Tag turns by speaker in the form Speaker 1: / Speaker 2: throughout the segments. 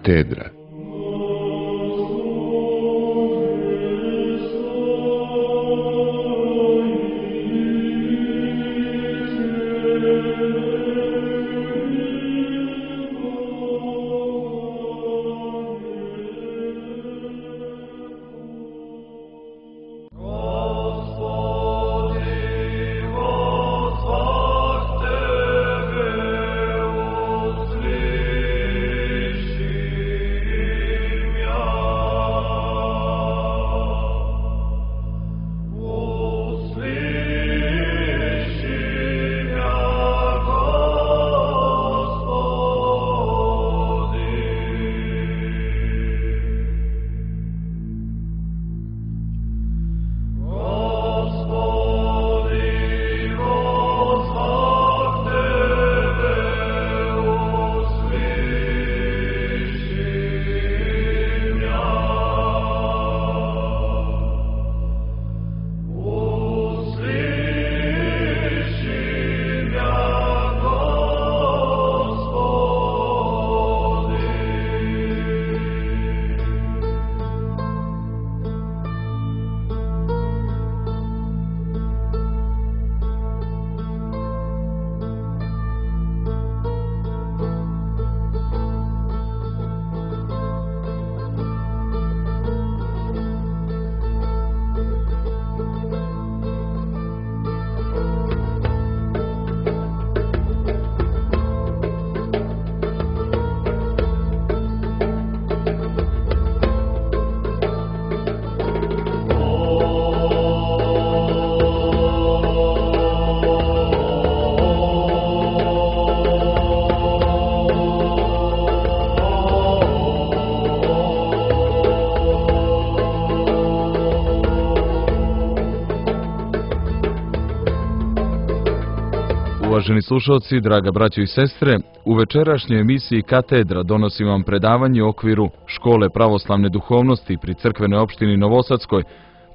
Speaker 1: Katedra.
Speaker 2: Uvaženi slušalci, draga braćo i sestre, u večerašnjoj emisiji Katedra donosim vam predavanje u okviru Škole pravoslavne duhovnosti pri crkvenoj opštini Novosadskoj.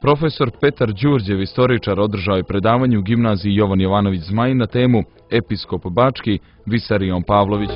Speaker 2: Profesor Petar Đurđev, istoričar, održao je predavanje u gimnaziji Jovan Jovanović Zmajin na temu Episkop Bački Visarion Pavlović.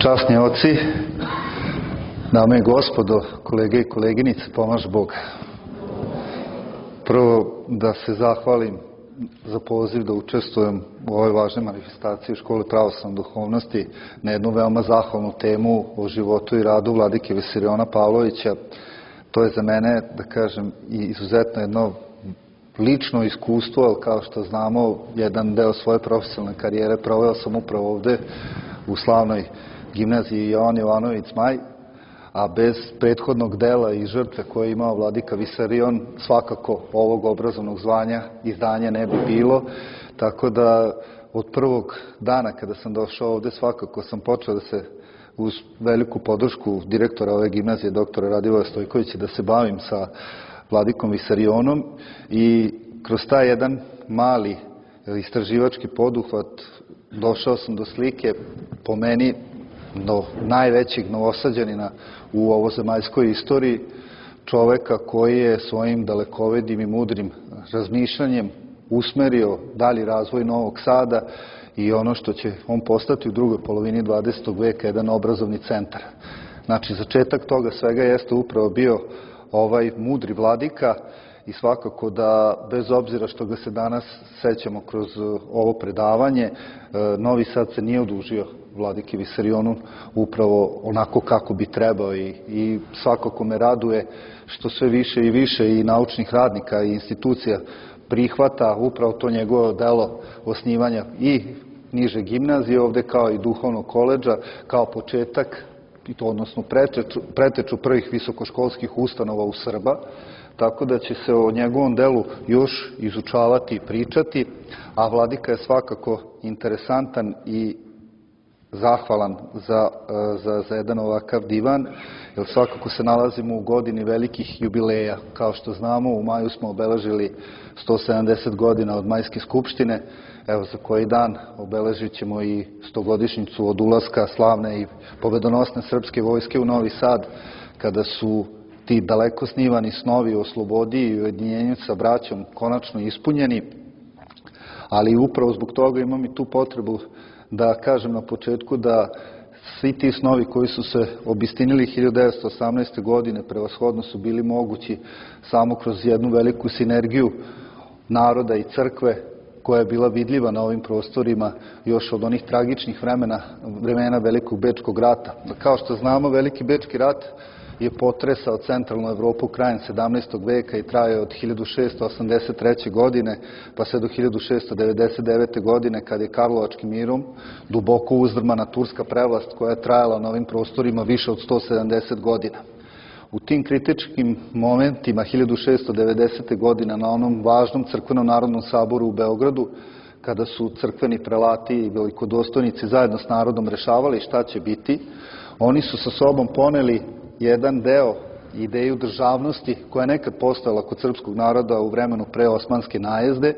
Speaker 1: Časni oci, dame i gospodo, kolege i koleginice, pomaže Bog. Prvo da se zahvalim za poziv da učestvujem u ovoj važnoj manifestaciji Škole pravoslavne duhovnosti na jednu veoma zahvalnu temu o životu i radu vladike Visariona Pavlovića. To je za mene, da kažem, izuzetno jedno lično iskustvo, ali kao što znamo, jedan deo svoje profesionalne karijere proveo sam upravo ovde u slavnoj gimnaziji Jovan Jovanović Zmaj, a bez prethodnog dela i žrtve koje je imao vladika Visarion, svakako ovog obrazovnog zvanja i zdanja ne bi bilo. Tako da od prvog dana kada sam došao ovde, svakako sam počeo da se uz veliku podršku direktora ove gimnazije, doktora Radivoja Stojkovića, da se bavim sa vladikom Visarionom i kroz taj jedan mali istraživački poduhvat došao sam do slike, po meni, do najvećeg Novosađanina u ovozemaljskoj istoriji, čoveka koji je svojim dalekovidim i mudrim razmišljanjem usmerio dalji razvoj Novog Sada i ono što će on postati u drugoj polovini 20. veka, jedan obrazovni centar. Znači, začetak toga svega jeste upravo bio ovaj mudri vladika i svakako da, bez obzira što ga se danas sećamo kroz ovo predavanje, Novi Sad se nije odužio vladiki Visarionu upravo onako kako bi trebao i svakako me raduje što sve više i više i naučnih radnika i institucija prihvata upravo to njegovo delo osnivanja i niže gimnazije ovde kao i duhovnog koledža kao početak, odnosno preteču prvih visokoškolskih ustanova u Srba, tako da će se o njegovom delu još izučavati i pričati, a vladika je svakako interesantan i zahvalan za jedan ovakav divan, jer svakako se nalazimo u godini velikih jubileja. Kao što znamo, u maju smo obeležili 170 godina od Majske skupštine, evo za koji dan obeležit ćemo i 100-godišnjicu od ulaska slavne i pobedonosne srpske vojske u Novi Sad, kada su ti daleko snivani snovi o slobodi i ujedinjenju sa braćom konačno ispunjeni, ali upravo zbog toga imam i tu potrebu da kažem na početku da svi ti snovi koji su se obistinili 1918. godine prevashodno su bili mogući samo kroz jednu veliku sinergiju naroda i crkve koja je bila vidljiva na ovim prostorima još od onih tragičnih vremena Velikog Bečkog rata. Kao što znamo, Veliki Bečki rat je potresao centralnu Evropu krajem 17. veka i trajao od 1683. godine pa sve do 1699. godine, kad je Karlovačkim mirom duboko uzdrmana turska prevlast koja je trajala na ovim prostorima više od 170 godina. U tim kritičkim momentima 1690. godina na onom važnom crkvenom narodnom saboru u Beogradu, kada su crkveni prelati i velikodostojnici zajedno s narodom rešavali šta će biti, oni su sa sobom poneli jedan deo, ideju državnosti koja je nekad postojala kod srpskog naroda u vremenu pre osmanske najezde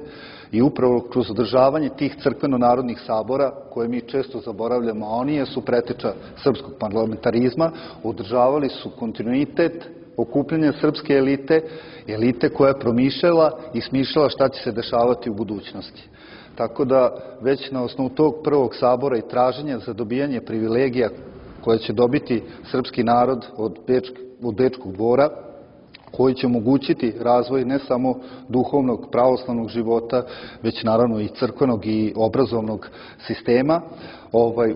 Speaker 1: i upravo kroz održavanje tih crkveno-narodnih sabora, koje mi često zaboravljamo, a oni jesu preteča srpskog parlamentarizma, održavali su kontinuitet okupljanja srpske elite koja je promišljala i smišljala šta će se dešavati u budućnosti. Tako da već na osnovu tog prvog sabora i traženja za dobijanje privilegija koje će dobiti srpski narod od Bečkog dvora, koji će omogućiti razvoj ne samo duhovnog pravoslavnog života, već naravno i crkvenog i obrazovnog sistema.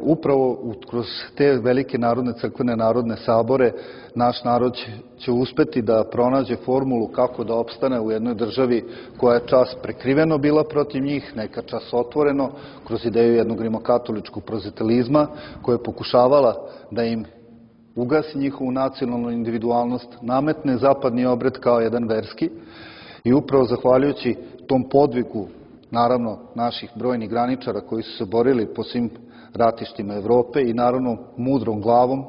Speaker 1: Upravo kroz te velike narodne crkvene narodne sabore naš narod će uspeti da pronađe formulu kako da opstane u jednoj državi koja je čas prekriveno bila protiv njih, neka čas otvoreno, kroz ideju jednog rimokatoličkog prozitelizma koja je pokušavala da im ugasi njihovu nacionalnu individualnost, nametne zapadni obred kao jedan verski i upravo zahvaljujući tom podvigu, naravno, naših brojnih graničara koji su se borili po svim ratištima Evrope i naravno mudrom glavom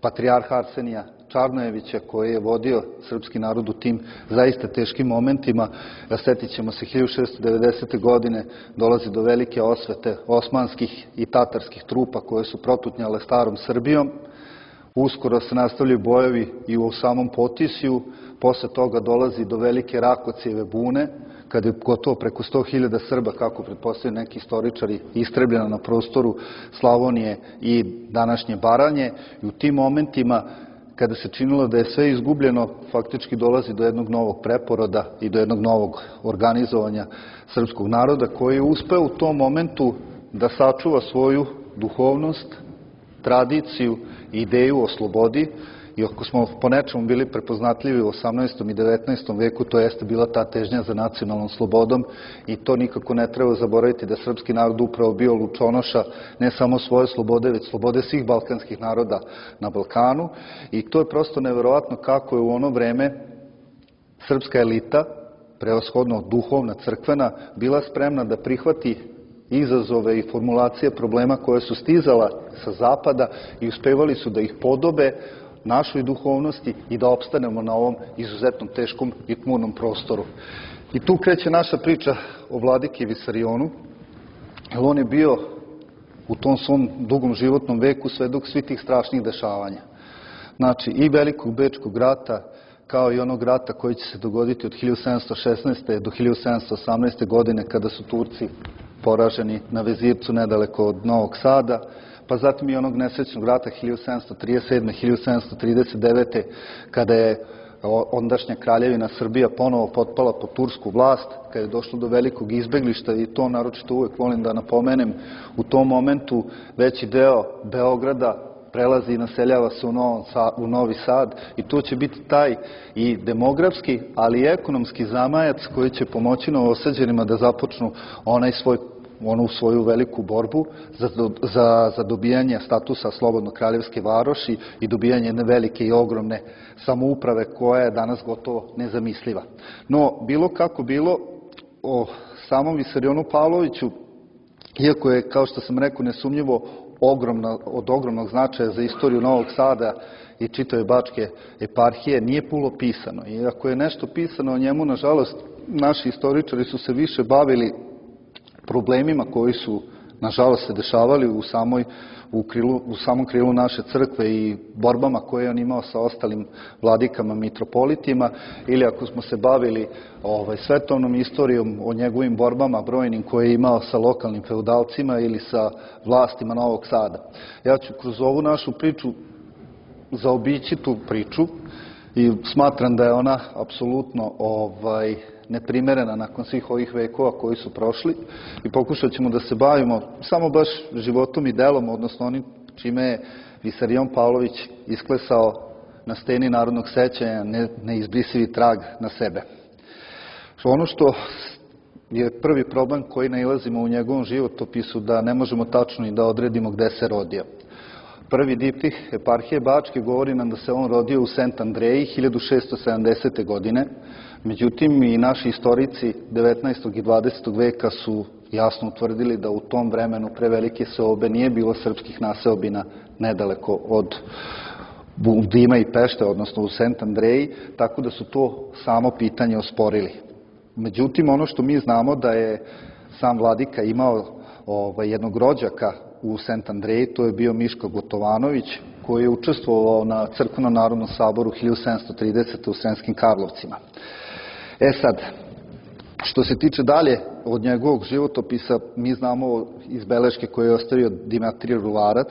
Speaker 1: patrijarha Arsenija Čarnojevića koji je vodio srpski narod u tim zaista teškim momentima. Sjetit ćemo se 1690. godine dolazi do velike osvete osmanskih i tatarskih trupa koje su protutnjale starom Srbijom. Uskoro se nastavljaju bojevi i u samom Potisju, posle toga dolazi do velike Rakocijeve bune, kada je gotovo preko 100.000 Srba, kako pretpostavljaju neki istoričari, istrebljeno na prostoru Slavonije i današnje Baranje. I u tim momentima, kada se činilo da je sve izgubljeno, faktički dolazi do jednog novog preporoda i do jednog novog organizovanja srpskog naroda, koji je uspeo u tom momentu da sačuva svoju duhovnost, tradiciju i ideju o slobodi. I ako smo po nečemu bili prepoznatljivi u 18. i 19. veku, to jeste bila ta težnja za nacionalnom slobodom i to nikako ne treba zaboraviti da srpski narod upravo bio lučonoša ne samo svoje slobode, već slobode svih balkanskih naroda na Balkanu. I to je prosto neverovatno kako je u ono vreme srpska elita, prevashodno duhovna, crkvena, bila spremna da prihvati izazove i formulacije problema koje su stizala sa zapada i uspevali su da ih podobe našoj duhovnosti i da opstanemo na ovom izuzetno teškom i tmurnom prostoru. I tu kreće naša priča o vladiki Visarionu, jer on je bio u tom svom dugom životnom veku svedok svih tih strašnih dešavanja. Znači, i Velikog Bečkog rata, kao i onog rata koji će se dogoditi od 1716. do 1718. godine, kada su Turci poraženi na Vezircu nedaleko od Novog Sada, pa zatim i onog nesrećnog rata 1737. 1739. kada je ondašnja kraljevina Srbija ponovo potpala pod tursku vlast, kada je došlo do velikog izbeglišta, i to naročito uvek volim da napomenem, u tom momentu veći deo Beograda prelazi i naseljava se u Novi Sad, i to će biti taj i demografski, ali i ekonomski zamajac koji će pomoći Novosađanima da započnu onu svoju veliku borbu za dobijanje statusa slobodno kraljevske varoši i dobijanje jedne velike i ogromne samouprave koja je danas gotovo nezamisliva. No, bilo kako bilo, o samom Visarionu Pavloviću, iako je, kao što sam rekao, nesumnjivo od ogromnog značaja za istoriju Novog Sada i čitave Bačke eparhije, nije puno pisano. I ako je nešto pisano o njemu, nažalost, naši istoričari su se više bavili problemima koji su, nažalost, se dešavali u samom krilu naše crkve i borbama koje je on imao sa ostalim vladikama, mitropolitima, ili ako smo se bavili svetovnom istorijom o njegovim borbama brojnim koje je imao sa lokalnim feudalcima ili sa vlastima Novog Sada. Ja ću kroz ovu našu priču zaobići tu priču i smatram da je ona apsolutno neprimerena nakon svih ovih vekova koji su prošli, i pokušat ćemo da se bavimo samo baš životom i delom, odnosno onim čime je Visarion Pavlović isklesao na steni narodnog sećanja neizbrisivi trag na sebe. Ono što je prvi problem koji nailazimo u njegovom životopisu, da ne možemo tačno i da odredimo gde se rodio. Prvi diptih eparhije Bačke govori nam da se on rodio u Sent Andreji 1670. godine. Međutim, i naši istorici 19. i 20. veka su jasno utvrdili da u tom vremenu prevelike seobe nije bilo srpskih naseobina nedaleko od Dima i Pešte, odnosno u Sent Andreji, tako da su to samo pitanje osporili. Međutim, ono što mi znamo da je sam vladika imao jednog rođaka u Sent Andreji, to je bio Miško Gotovanović, koji je učestvovao na Crkvenom narodnom saboru 1730. u Sremskim Karlovcima. Sad, što se tiče dalje od njegovog životopisa, mi znamo iz beleške koje je ostavio Dimitrije Ruvarac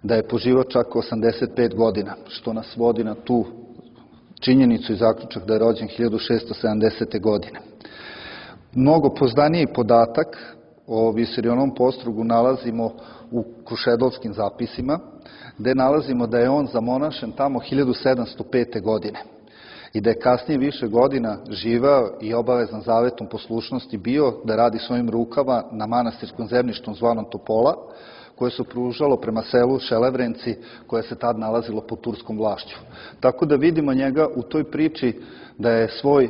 Speaker 1: da je poživao čak 85 godina, što nas vodi na tu činjenicu i zaključak da je rođen 1670. godine. Mnogo poznaniji podatak o Visarionom postrugu nalazimo u Krušedolskim zapisima, gde nalazimo da je on zamonašen tamo 1705. godine i da je kasnije više godina živeo i obavezan zavetom poslušnosti bio da radi svojim rukama na manastirskom zemljištu zvanom Topola, koje se pružalo prema selu Šelevrenci, koje se tad nalazilo pod turskom vlašću. Tako da vidimo njega u toj priči da je svoj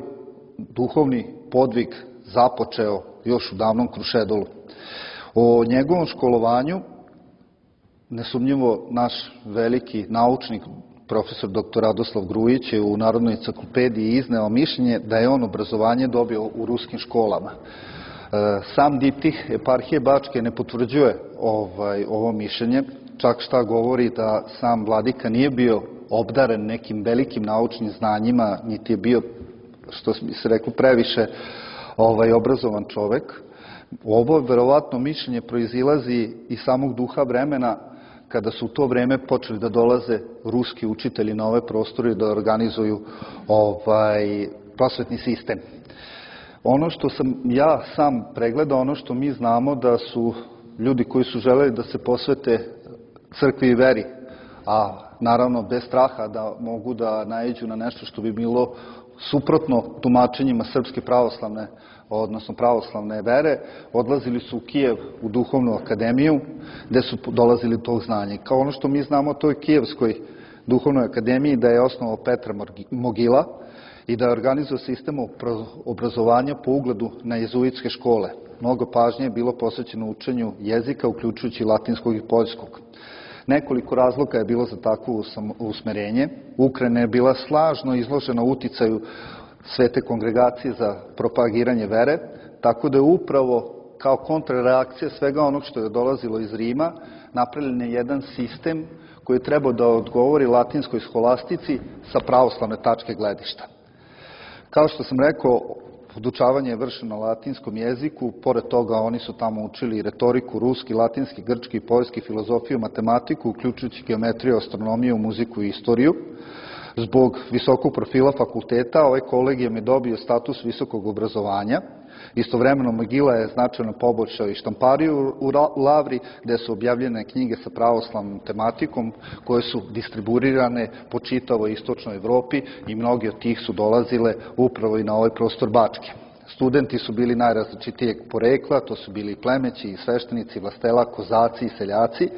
Speaker 1: duhovni podvig započeo još u davnom Krušedolu. O njegovom školovanju nesumnjivo naš veliki naučnik, profesor dr. Radoslav Grujić, je u Narodnoj enciklopediji izneo mišljenje da je on obrazovanje dobio u ruskim školama. Sam diptih eparhije Bačke ne potvrđuje ovo mišljenje, čak šta govori da sam vladika nije bio obdaren nekim velikim naučnim znanjima, niti je bio, što bi se reklo, previše obrazovan čovek. Ovo verovatno mišljenje proizilazi iz samog duha vremena kada su u to vreme počeli da dolaze ruski učitelji na ove prostore i da organizuju prosvetni sistem. Ono što sam ja sam pregledao, ono što mi znamo da su ljudi koji su želeli da se posvete crkvi i veri, a naravno bez straha da mogu da naiđu na nešto što bi bilo suprotno tumačenjima Srpske pravoslavne, odnosno pravoslavne vere, odlazili su u Kijev u duhovnu akademiju gde su dolazili do tog znanja. Kao ono što mi znamo o toj Kijevskoj duhovnoj akademiji da je osnovao Petar Mogila i da je organizao sistem obrazovanja po ugledu na jezuitske škole. Mnogo pažnje je bilo posvećeno učenju jezika, uključujući latinskog i poljskog. Nekoliko razloga je bilo za takvo usmerenje. Ukrajina je bila snažno izložena uticaju Svete kongregacije za propagiranje vere, tako da je upravo kao kontrareakcija svega onog što je dolazilo iz Rima napravljen je jedan sistem koji je trebao da odgovori latinskoj scholastici sa pravoslavne tačke gledišta. Kao što sam rekao, podučavanje je vršeno na latinskom jeziku, pored toga oni su tamo učili retoriku, ruski, latinski, grčki, poljski, filozofiju, matematiku, uključujući geometriju, astronomiju, muziku i istoriju. Zbog visokog profila fakulteta, ovaj kolegijum je dobio status visokog obrazovanja. Istovremeno Mogila je značajno poboljšao i štampariju u Lavri, gde su objavljene knjige sa pravoslavnom tematikom, koje su distribuirane po čitavoj istočnoj Evropi i mnogi od tih su dolazile upravo i na ovaj prostor Bačke. Studenti su bili najrazličitijeg porekla, to su bili i plemeći, i sveštenici, vlastela, kozaci i seljaci,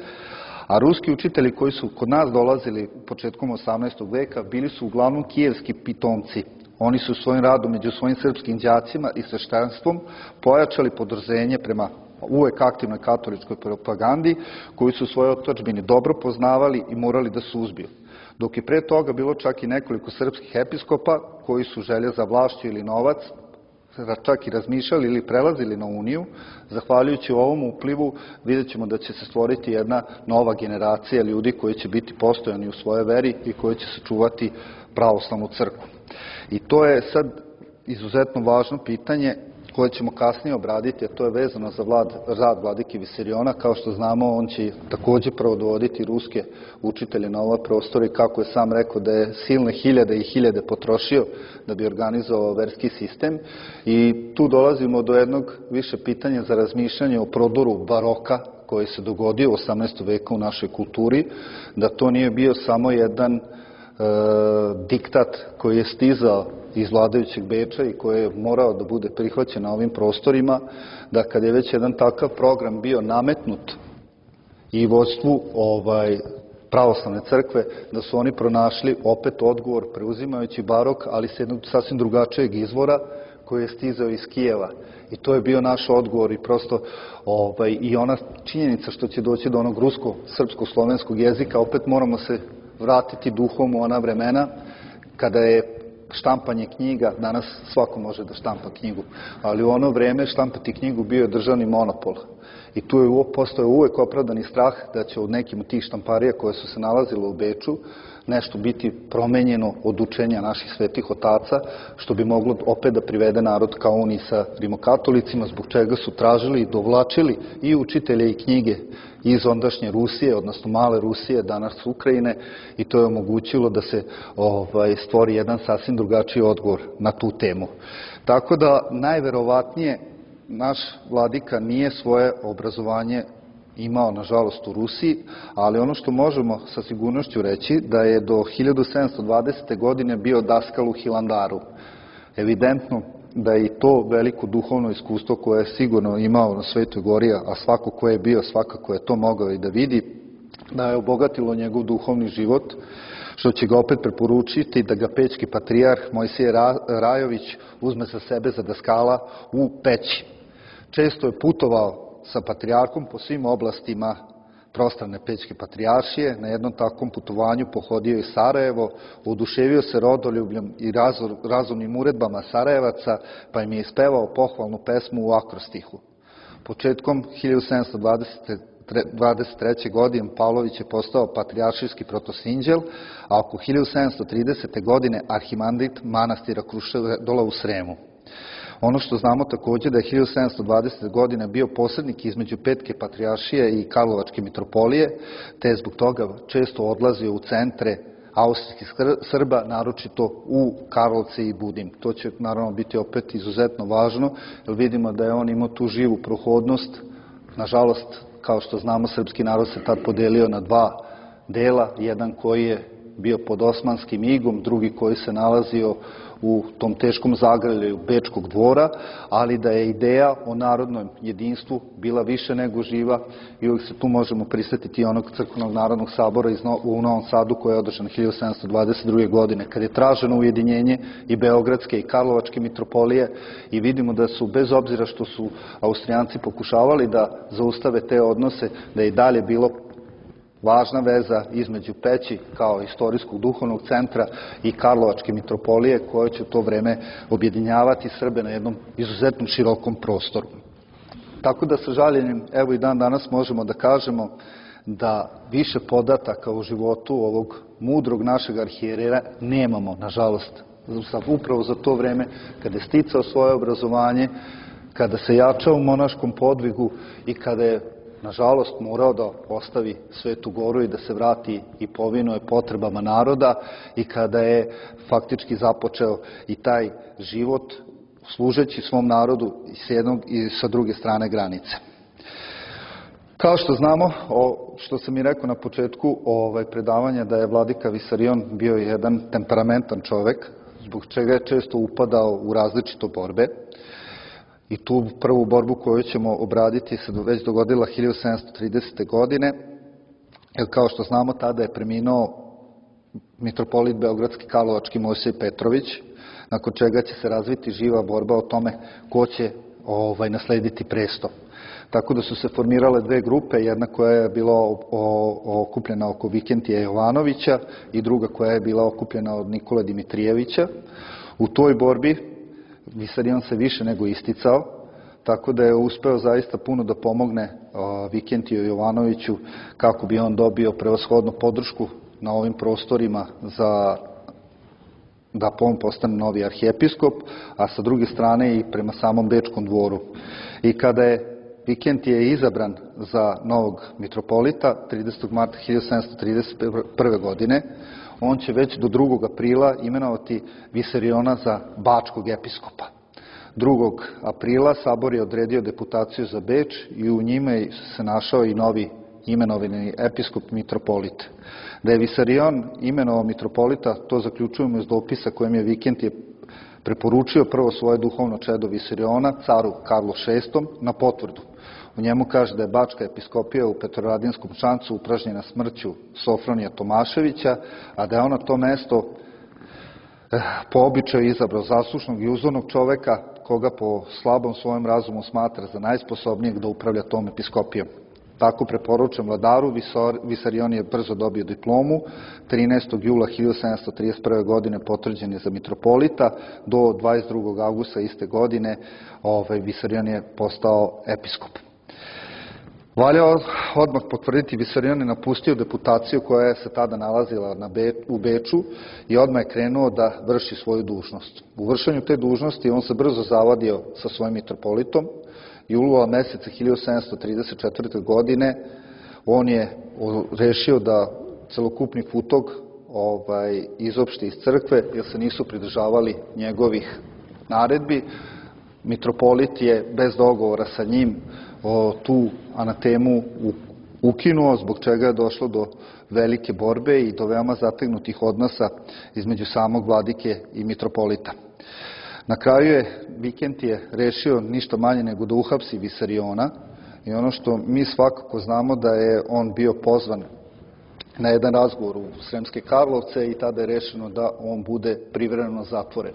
Speaker 1: a ruski učitelji koji su kod nas dolazili početkom 18. veka bili su uglavnom kijevski pitomci. Oni su svojim radom među svojim srpskim đacima i sveštenstvom pojačali podrženje prema uvek aktivnoj katoličkoj propagandi, koju su u svojoj otadžbini dobro poznavali i morali da suzbiju. Dok je pre toga bilo čak i nekoliko srpskih episkopa koji su želje za vlašću ili novac čak i razmišljali ili prelazili na Uniju, zahvaljujući ovom uplivu vidjet ćemo da će se stvoriti jedna nova generacija ljudi koji će biti postojani u svojoj veri i koji će sačuvati pravoslavnu crkvu. I to je sad izuzetno važno pitanje koje ćemo kasnije obraditi, a to je vezano za rad vladike Visariona. Kao što znamo, on će takođe prvo dovoditi ruske učitelje na ova prostora i kako je sam rekao da je silne hiljade i hiljade potrošio da bi organizovao verski sistem. I tu dolazimo do jednog više pitanja za razmišljanje o prodoru baroka koji se dogodio u 18. veku u našoj kulturi, da to nije bio samo jedan diktat koji je stizao iz vladajućeg Beča i koji je morao da bude prihvaćen na ovim prostorima, da kad je već jedan takav program bio nametnut i vođstvu pravoslavne crkve, da su oni pronašli opet odgovor preuzimajući barok, ali s jednog sasvim drugačijeg izvora koji je stizao iz Kijeva. I to je bio naš odgovor i prosto i ona činjenica što će doći do onog rusko-srpsko-slovenskog jezika, opet moramo se vratiti duhom u ona vremena kada je štampanje knjiga, danas svako može da štampa knjigu, ali u ono vreme štampati knjigu bio je državni monopol. I tu je postojao uvek opravdani strah da će od nekim od tih štamparija koje su se nalazile u Beču nešto biti promenjeno od učenja naših svetih otaca, što bi moglo opet da privede narod ka uniji sa rimokatolicima, zbog čega su tražili i dovlačili i učitelje i knjige iz ondašnje Rusije, odnosno male Rusije, danas Ukrajine, i to je omogućilo da se stvori jedan sasvim drugačiji odgovor na tu temu. Tako da, najverovatnije, naš vladika nije svoje obrazovanje imao, nažalost, u Rusiji, ali ono što možemo sa sigurnošću reći da je do 1720. godine bio daskal u Hilandaru. Evidentno da je i to veliko duhovno iskustvo koje je sigurno imao na Svetoj gori, a svako ko je bio, svakako je to mogao i da vidi, da je obogatilo njegov duhovni život, što će ga opet preporučiti da ga pećki patrijarh Mojsije Rajović uzme sa sebe za daskala u Peći. Često je putovao sa patrijarhom po svim oblastima prostrane Pećke patrijaršije. Na jednom takvom putovanju pohodio i Sarajevo, oduševio se rodoljubljem i razumnim uredbama Sarajevaca, pa im je ispevao pohvalnu pesmu u akrostihu. Početkom 1723. godine Pavlović je postao patrijaršijski protosinđel, a oko 1730. godine arhimandrit manastira Krušedola u Sremu. Ono što znamo takođe da je 1720. godine bio posrednik između Petke patrijaršije i Karlovačke mitropolije, te je zbog toga često odlazio u centre austrijskih Srba, naročito u Karlovce i Budim. To će naravno biti opet izuzetno važno, jer vidimo da je on imao tu živu prohodnost. Nažalost, kao što znamo, srpski narod se tad podelio na dva dela, jedan koji je bio pod osmanskim igom, drugi koji se nalazio u tom teškom zagrljaju Bečkog dvora, ali da je ideja o narodnom jedinstvu bila više nego živa i uvijek se tu možemo prisetiti onog crkvenog narodnog sabora u Novom Sadu koji je održan 1722. godine, kad je traženo ujedinjenje i Beogradske i Karlovačke mitropolije i vidimo da su, bez obzira što su Austrijanci pokušavali da zaustave te odnose, da je i dalje bilo važna veza između Peći kao istorijskog duhovnog centra i Karlovačke mitropolije koje će u to vreme objedinjavati Srbe na jednom izuzetno širokom prostoru. Tako da sa žaljenjem, evo i dan danas možemo da kažemo da više podataka o životu ovog mudrog našeg arhijerera nemamo, nažalost, upravo za to vreme kada je sticao svoje obrazovanje, kada se jačao u monaškom podvigu i kada je nažalost morao da ostavi Svetu Goru i da se vrati i povinuje potrebama naroda i kada je faktički započeo i taj život služeći svom narodu s jednog i sa druge strane granice. Kao što znamo, što sam i rekao na početku predavanja, da je vladika Visarion bio jedan temperamentan čovek, zbog čega je često upadao u različite borbe. I tu prvu borbu koju ćemo obraditi se već dogodila 1730. godine, jer kao što znamo tada je preminuo mitropolit Beogradski Karlovački Mojsije Petrović, nakon čega će se razviti živa borba o tome ko će naslediti presto. Tako da su se formirale dve grupe, jedna koja je bila okupljena oko Vikentija Jovanovića i druga koja je bila okupljena od Nikole Dimitrijevića. U toj borbi Visarion se više nego isticao, tako da je uspeo zaista puno da pomogne Vikentiju Jovanoviću kako bi on dobio prevashodnu podršku na ovim prostorima da on postane novi arhijepiskop, a sa druge strane i prema samom Bečkom dvoru. I kada je Vikentije izabran za novog mitropolita 30. marta 1731. godine, on će već do 2. aprila imenovati Visariona za bačkog episkopa. 2. aprila sabor je odredio deputaciju za Beč i u njime se našao i novi imenovani episkop mitropolit. Da je Visarion imenovao mitropolita, to zaključujemo iz dopisa kojem je Vikentije preporučio prvo svoje duhovno čedo Visariona, caru Karlu VI, na potvrdu. U njemu kaže da je bačka episkopija u Petroradinskom Šancu upražnjena smrću Sofronija Tomaševića, a da je ona to mesto po običaju izabrao zaslušnog i uzornog čoveka, koga po slabom svojem razumu smatra za najsposobnijeg da upravlja tom episkopijom. Tako preporučen vladaru, Visarion je brzo dobio diplomu, 13. jula 1731. godine potvrđen je za mitropolita, do 22. augusta iste godine Visarion je postao episkop. Valja odmah potvrditi, Visarion je napustio deputaciju koja se tada nalazila u Beču i odmah je krenuo da vrši svoju dužnost. U vršenju te dužnosti on se brzo zavadio sa svojim mitropolitom i jula meseca 1734. godine on je rešio da celokupni futog izopšti iz crkve jer se nisu pridržavali njegovih naredbi. Mitropolit je bez dogovora sa njim tu anatemu ukinuo, zbog čega je došlo do velike borbe i do veoma zategnutih odnosa između samog vladike i mitropolita. Na kraju je Vikentije rešio ništa manje nego da uhapsi Visariona i ono što mi svakako znamo da je on bio pozvan na jedan razgovor u Sremske Karlovce i tada je rešeno da on bude privremeno zatvoren.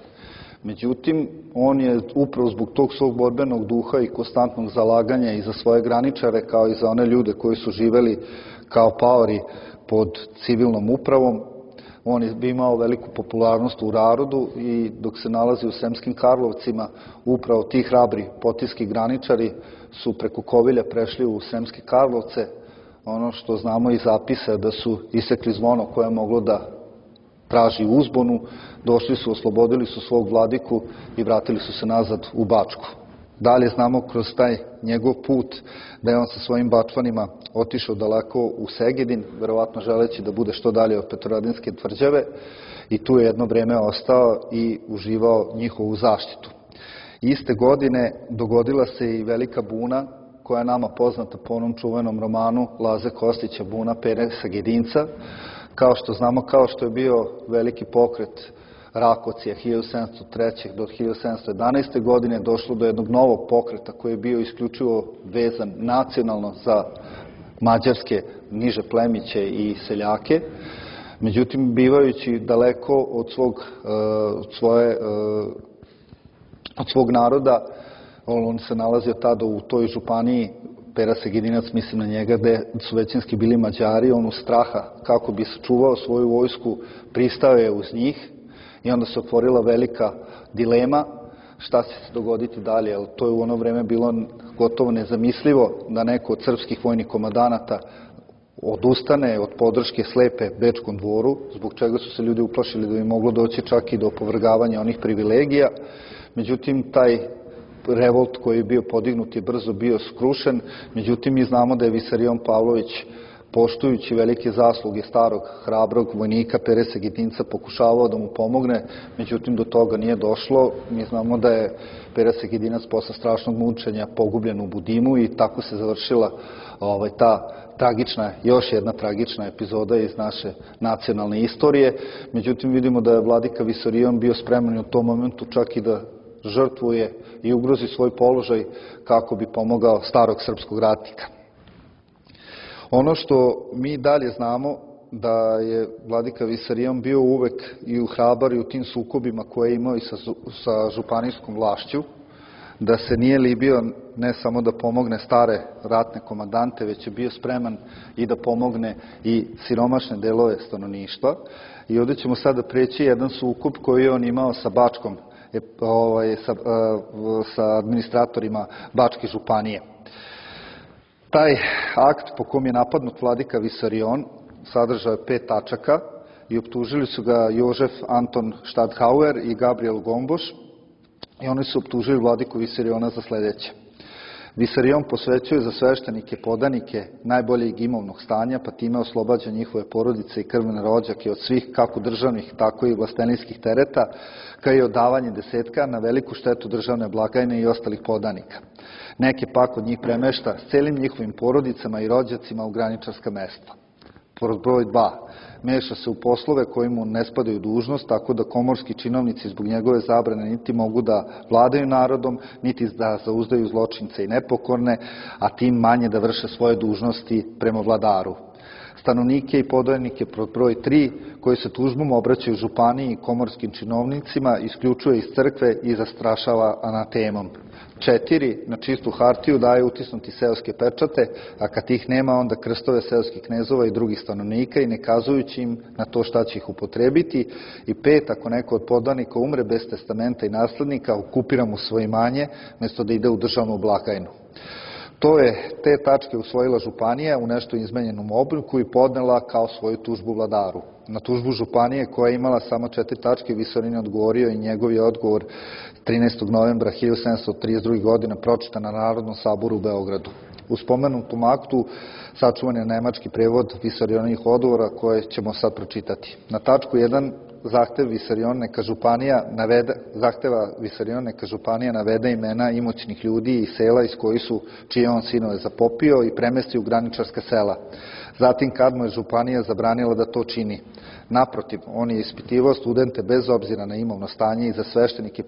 Speaker 1: Međutim, on je upravo zbog tog svog borbenog duha i konstantnog zalaganja i za svoje graničare, kao i za one ljude koji su živeli kao paori pod civilnom upravom, on je imao veliku popularnost u narodu i dok se nalazi u Sremskim Karlovcima, upravo ti hrabri potiski graničari su preko Kovilja prešli u Sremske Karlovce. Ono što znamo iz zapisa da su isekli zvono koje je moglo da traži uzbunu, došli su, oslobodili su svog vladiku i vratili su se nazad u Bačku. Dalje znamo kroz taj njegov put da je on sa svojim Bačvanima otišao daleko u Segedin, verovatno želeći da bude što dalje od Petrovaradinske tvrđave, i tu je jedno vreme ostao i uživao njihovu zaštitu. Iste godine dogodila se i velika buna koja je nama poznata po onom čuvenom romanu Laze Kostića Buna Pere Sagedinca. Kao što znamo, kao što je bio veliki pokret Rakocija 1703. do 1711. godine, došlo do jednog novog pokreta koji je bio isključivo vezan nacionalno za mađarske niže plemiće i seljake. Međutim, bivajući daleko od svog naroda, on se nalazio tada u toj županiji, Pera Segedinac, mislim na njega, gde su većinski bili Mađari, on u straha kako bi sačuvao svoju vojsku pristao je uz njih i onda se otvorila velika dilema šta će se dogoditi dalje, jer to je u ono vreme bilo gotovo nezamislivo da neko od srpskih vojnih komandanata odustane od podrške slepe Bečkom dvoru, zbog čega su se ljudi uplašili da bi moglo doći čak i do opovrgavanja onih privilegija. Međutim, taj revolt koji je bio podignut je brzo bio skrušen. Međutim, mi znamo da je Visarion Pavlović, poštujući velike zasluge starog, hrabrog vojnika Pere Segedinca, pokušavao da mu pomogne, međutim do toga nije došlo. Mi znamo da je Pere Segedinac posle strašnog mučenja pogubljen u Budimu i tako se završila ta tragična, još jedna tragična epizoda iz naše nacionalne istorije. Međutim, vidimo da je vladika Visarion bio spreman u tom momentu čak i da žrtvuje i ugrozi svoj položaj kako bi pomogao starog srpskog ratnika. Ono što mi dalje znamo da je vladika Visarion bio uvek i hrabar i u tim sukobima koje je imao i sa županijskom vlašću, da se nije libio ne samo da pomogne stare ratne komandante, već je bio spreman i da pomogne i siromašne delove stanovništva. I ovdje ćemo sada preći jedan sukob koji je on imao sa Bačkom, sa administratorima Bačke županije. Taj akt po kom je napadnut vladika Visarion sadržao je 5 tačaka i optužili su ga Jožef Anton Štadhauer i Gabriel Gomboš i oni su optužili vladiku Visariona za sledeće. Visarion posvećuje za sveštenike, podanike najboljeg imovnog stanja, pa time oslobađa njihove porodice i krvne rođake od svih kako državnih, tako i vlastenijskih tereta, kao i odavanje desetka na veliku štetu državne blagajne i ostalih podanika. Neke pak od njih premešta s celim njihovim porodicama i rođacima u graničarska mesta. Broj 2. Meša se u poslove koji mu ne spadaju dužnost, tako da komorski činovnici zbog njegove zabrane niti mogu da vladaju narodom, niti da zauzdaju zločince i nepokorne, a tim manje da vrše svoje dužnosti prema vladaru. Stanovnike i podajnike broj 3, koji se tužbom obraćaju županiji i komorskim činovnicima, isključuje iz crkve i zastrašava anatemom. 4. Na čistu hartiju daje utisnuti seoske pečate, a kad ih nema, onda krstove seoskih knezova i drugih stanovnika i ne kazujući im na to šta će ih upotrebiti. I 5. Ako neko od podanika umre bez testamenta i naslednika, okupira mu svoje imanje, mjesto da ide u državnu blagajnu. Te tačke usvojila županija u nešto izmenjenom obliku i podnela kao svoju tužbu vladaru. Na tužbu županije, koja je imala samo 4 tačke, Visarion je odgovorio i njegov je odgovor 13. novembra 1732. godine pročitan na Narodnom saboru u Beogradu. U spomenutom aktu sačuvan je nemački prevod Visarionovih odgovora koje ćemo sad pročitati. Na tačku 1 zahteva Visarion neka županija navede imena imućnih ljudi i sela iz koji su čije on sinove zapopio i premesti u graničarska sela. Zatim, kad mu je županija zabranila da to čini. Naprotiv, on je ispitivao studente bez obzira na imovno stanje i za sveštenike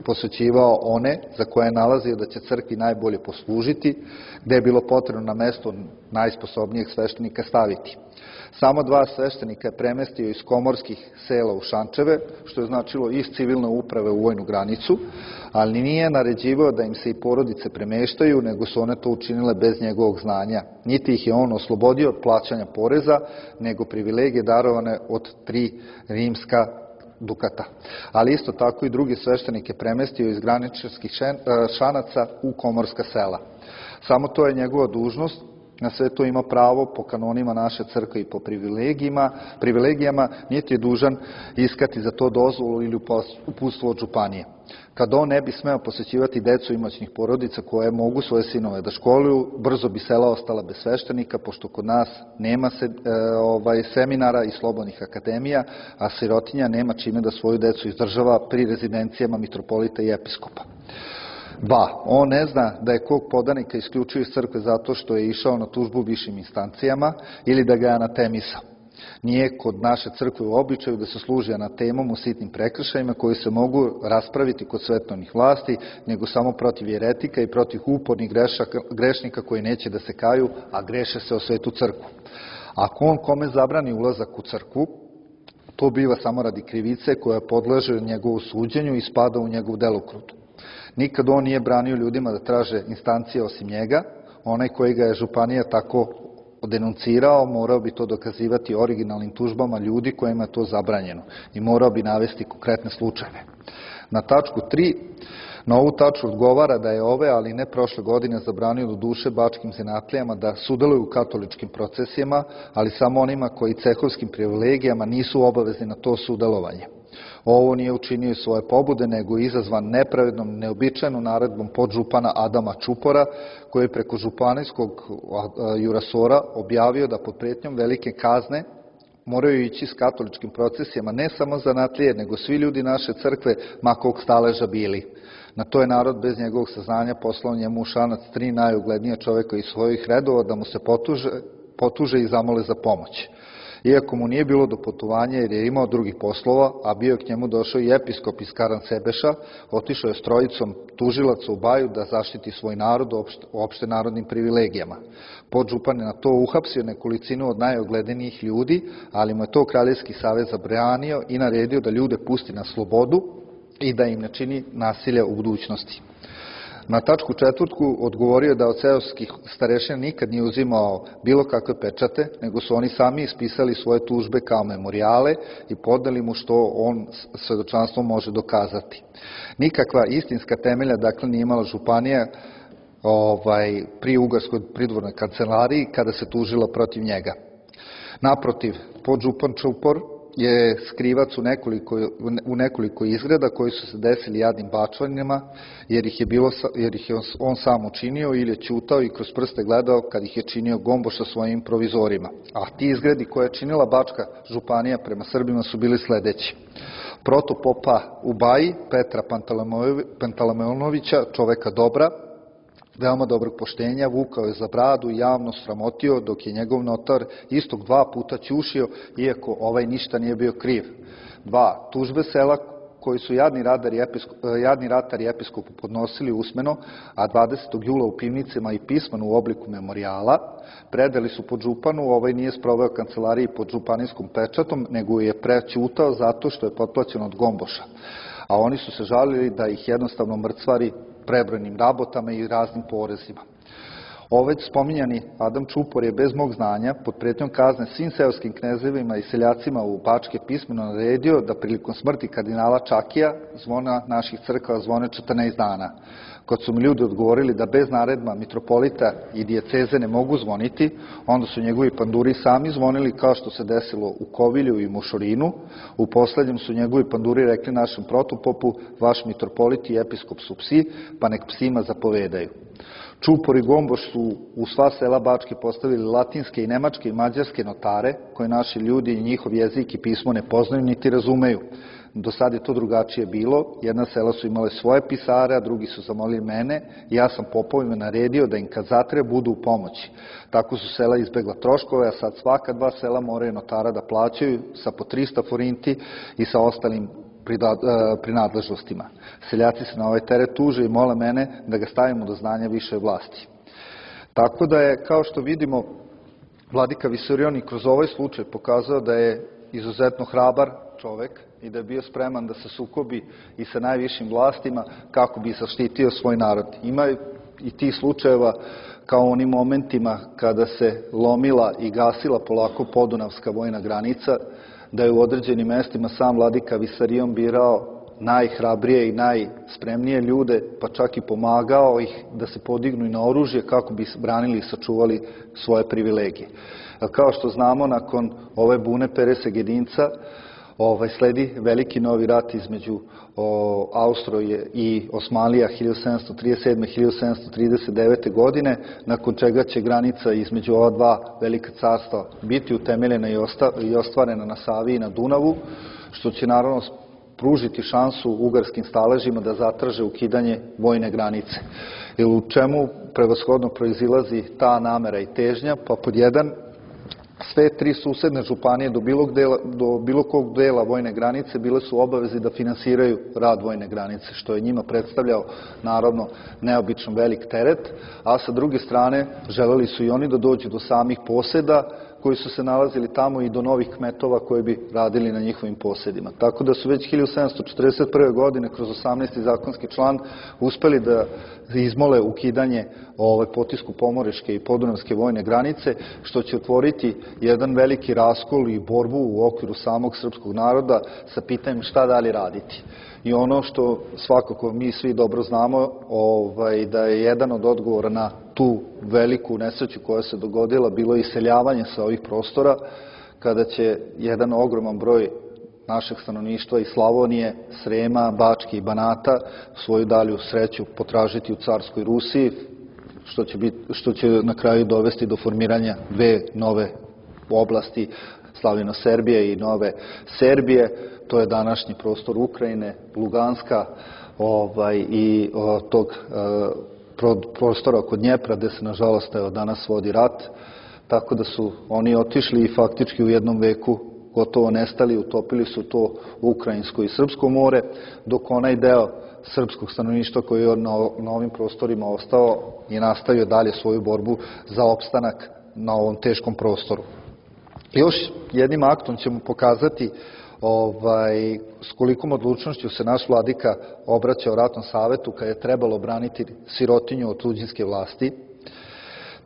Speaker 1: posvećivao one za koje je nalazio da će crkvi najbolje poslužiti, gde je bilo potrebno na mesto najsposobnijeg sveštenika staviti. Samo 2 sveštenika je premestio iz komorskih sela u Šančeve, što je značilo iz civilne uprave u vojnu granicu, ali nije naređivao da im se i porodice premeštaju, nego su one to učinile bez njegovog znanja. Niti ih je on oslobodio od plaćanja poreza, nego privilegije darovane od 3 rimska dukata. Ali isto tako i drugi sveštenike premestio iz graničarskih šanaca u komorska sela. Samo to je njegova dužnost, na sve to ima pravo po kanonima naše crkve i po privilegijama, niti je dužan iskati za to dozvolu ili uputstvo od županije. Kad on ne bi smeo posjećivati decu imaćnih porodica koje mogu svoje sinove da školuju, brzo bi sela ostala bez sveštenika, pošto kod nas nema seminara i slobodnih akademija, a sirotinja nema čime da svoju decu izdržava pri rezidencijama mitropolita i episkopa. 2. On ne zna da je kog podanika isključio iz crkve zato što je išao na tužbu višim instancijama ili da ga je anatemisao. Nije kod naše crkve u običaju da se služi anatemom u sitnim prekršajima koji se mogu raspraviti kod svetovnih vlasti, nego samo protiv jeretika i protiv upornih grešnika koji neće da se kaju, a greše se o svetu crkvu. Ako on kome zabrani ulazak u crkvu, to biva samo radi krivice koja podleže njegovu suđenju i spada u njegov delokrug. Nikad on nije branio ljudima da traže instancije osim njega. Onaj koji ga je županija tako denuncirao morao bi to dokazivati originalnim tužbama ljudi kojima je to zabranjeno i morao bi navesti konkretne slučajeve. Na tačku 3, na ovu tačku odgovara da je ove, ali ne prošle godine, zabranio do duše bačkim zanatlijama da sudeluju u katoličkim procesijama, ali samo onima koji cehovskim privilegijama nisu obavezni na to sudelovanje. Ovo nije učinio iz svoje pobude, nego je izazvan nepravednom, neobičajnom naredbom podžupana Adama Čupora, koji je preko županijskog jurasora objavio da pod pretnjom velike kazne moraju ići s katoličkim procesijama ne samo zanatlije, nego svi ljudi naše crkve, ma kog staleža bili. Na to je narod bez njegovog saznanja poslao njemu u Šanac 3 najuglednija čoveka iz svojih redova da mu se potuže i zamole za pomoć. Iako mu nije bilo do putovanja jer je imao drugih poslova, a bio je k njemu došao i episkop iz Karansebeša, otišao je s trojicom tužilaca u Baju da zaštiti svoj narod opšte narodnim privilegijama. Podžupan je na to uhapsio nekolicinu od najogledenijih ljudi, ali mu je to Kraljevski savez zabranio i naredio da ljude pusti na slobodu i da im ne čini nasilja u budućnosti. Na tačku 4. odgovorio je da od seoskih starešina nikad nije uzimao bilo kakve pečate, nego su oni sami ispisali svoje tužbe kao memorijale i podneli mu što on svedočanstvom može dokazati. Nikakva istinska temelja, dakle, nije imala županija pri Ugarskoj pridvornoj kancelariji kada se tužila protiv njega. Naprotiv, podžupan Čupor je skrivac u nekoliko izgreda koji su se desili jadnim bačvanjima, jer ih je on sam učinio ili je ćutao i kroz prste gledao kad ih je činio Gomboša svojim provizorima. A ti izgredi koje je činila Bačka županija prema Srbima su bili sledeći. Protopopa u Baji, Petra Pantelemonovića, čoveka dobra, veoma dobrog poštenja, vukao je za bradu i javno sramotio, dok je njegov notar istog 2 puta ćušio, iako ovaj ništa nije bio kriv. 2. Tužbe sela koji su jadni ratari i episkopu podnosili usmeno, a 20. jula u pivnicama i pismeno u obliku memorijala, predali su podžupanu, ovaj nije sproveo kancelariji pod županijskom pečatom, nego je prećutao zato što je potplaćen od Gomboša. A oni su se žalili da ih jednostavno mrcvari prebrojnim rabotama i raznim porezima. Već spominjani Adam Čupor je bez mog znanja pod pretnjom kazne svim seoskim knezevima i seljacima u Bačke pismeno naredio da prilikom smrti kardinala Čakija zvona naših crkava zvone 14 dana. Kad su mi ljudi odgovorili da bez naredba mitropolita i dijeceze ne mogu zvoniti, onda su njegovi panduri sami zvonili kao što se desilo u Kovilju i Mošorinu. U poslednjem su njegovi panduri rekli našem protopopu: vaš mitropolit i episkop su psi, pa nek psima zapovedaju. Čupor i Gomboš su u sva sela Bačke postavili latinske i nemačke i mađarske notare, koje naši ljudi i njihov jezik i pismo ne poznaju niti razumeju. Do sad je to drugačije bilo, jedna sela su imale svoje pisare, a drugi su zamolili mene i ja sam popovima naredio da im kad zatreba budu u pomoći. Tako su sela izbegla troškove, a sad svaka 2 sela moraju notara da plaćaju sa po 300 forinti i sa ostalim prinadležnostima. Seljaci se na ovaj teret tuže i mole mene da ga stavimo do znanja više vlasti. Tako da je, kao što vidimo, vladika Visarion i kroz ovaj slučaj pokazao da je izuzetno hrabar čovek i da je bio spreman da se sukobi i sa najvišim vlastima kako bi zaštitio svoj narod. Ima i tih slučajeva kao u onim momentima kada se lomila i gasila polako podunavska vojna granica, da je u određenim mestima sam vladika Visarion birao najhrabrije i najspremnije ljude, pa čak i pomagao ih da se podignu i na oružje kako bi branili i sačuvali svoje privilegije. Kao što znamo, nakon ove bune Pere Segedinca sledi veliki novi rat između Austroje i Osmanlija 1737-1739. godine, nakon čega će granica između ova dva velika carstva biti utemeljena i ostvarena na Savi i na Dunavu, što će naravno pružiti šansu ugarskim staležima da zatraže ukidanje vojne granice. Jer u čemu prevashodno proizilazi ta namera i težnja? Pa pod jedan, sve tri susedne županije do bilo kog dela vojne granice bile su obavezi da finansiraju rad vojne granice, što je njima predstavljao naravno neobično velik teret, a sa druge strane želeli su i oni da dođu do samih poseda koji su se nalazili tamo i do novih kmetova koji bi radili na njihovim posedima. Tako da su već 1741. godine kroz 18. zakonski član uspeli da izmole ukidanje potisku pomoreške i podunavske vojne granice, što će otvoriti jedan veliki raskol i borbu u okviru samog srpskog naroda sa pitanjem šta dalje raditi. I ono što svakako mi svi dobro znamo, da je jedan od odgovora na tu veliku nesreću koja se dogodila bilo iseljavanje sa ovih prostora, kada će jedan ogroman broj našeg stanovništva iz Slavonije, Srema, Bačke i Banata svoju dalju sreću potražiti u carskoj Rusiji, što će na kraju dovesti do formiranja dve nove oblasti, Slavino-Serbije i Nove Serbije. To je današnji prostor Ukrajine, Luganska i tog prostora oko Dnjepra, gde se nažalost danas vodi rat. Tako da su oni otišli i faktički u jednom veku gotovo nestali, utopili su to Ukrajinsko i Srpsko more, dok onaj deo srpskog stanovništva koji je na ovim prostorima ostao i nastavio dalje svoju borbu za opstanak na ovom teškom prostoru. Još jednim aktom ćemo pokazati s kolikom odlučnošću se naš vladika obraćao Ratnom savetu kad je trebalo braniti sirotinju od tuđinske vlasti.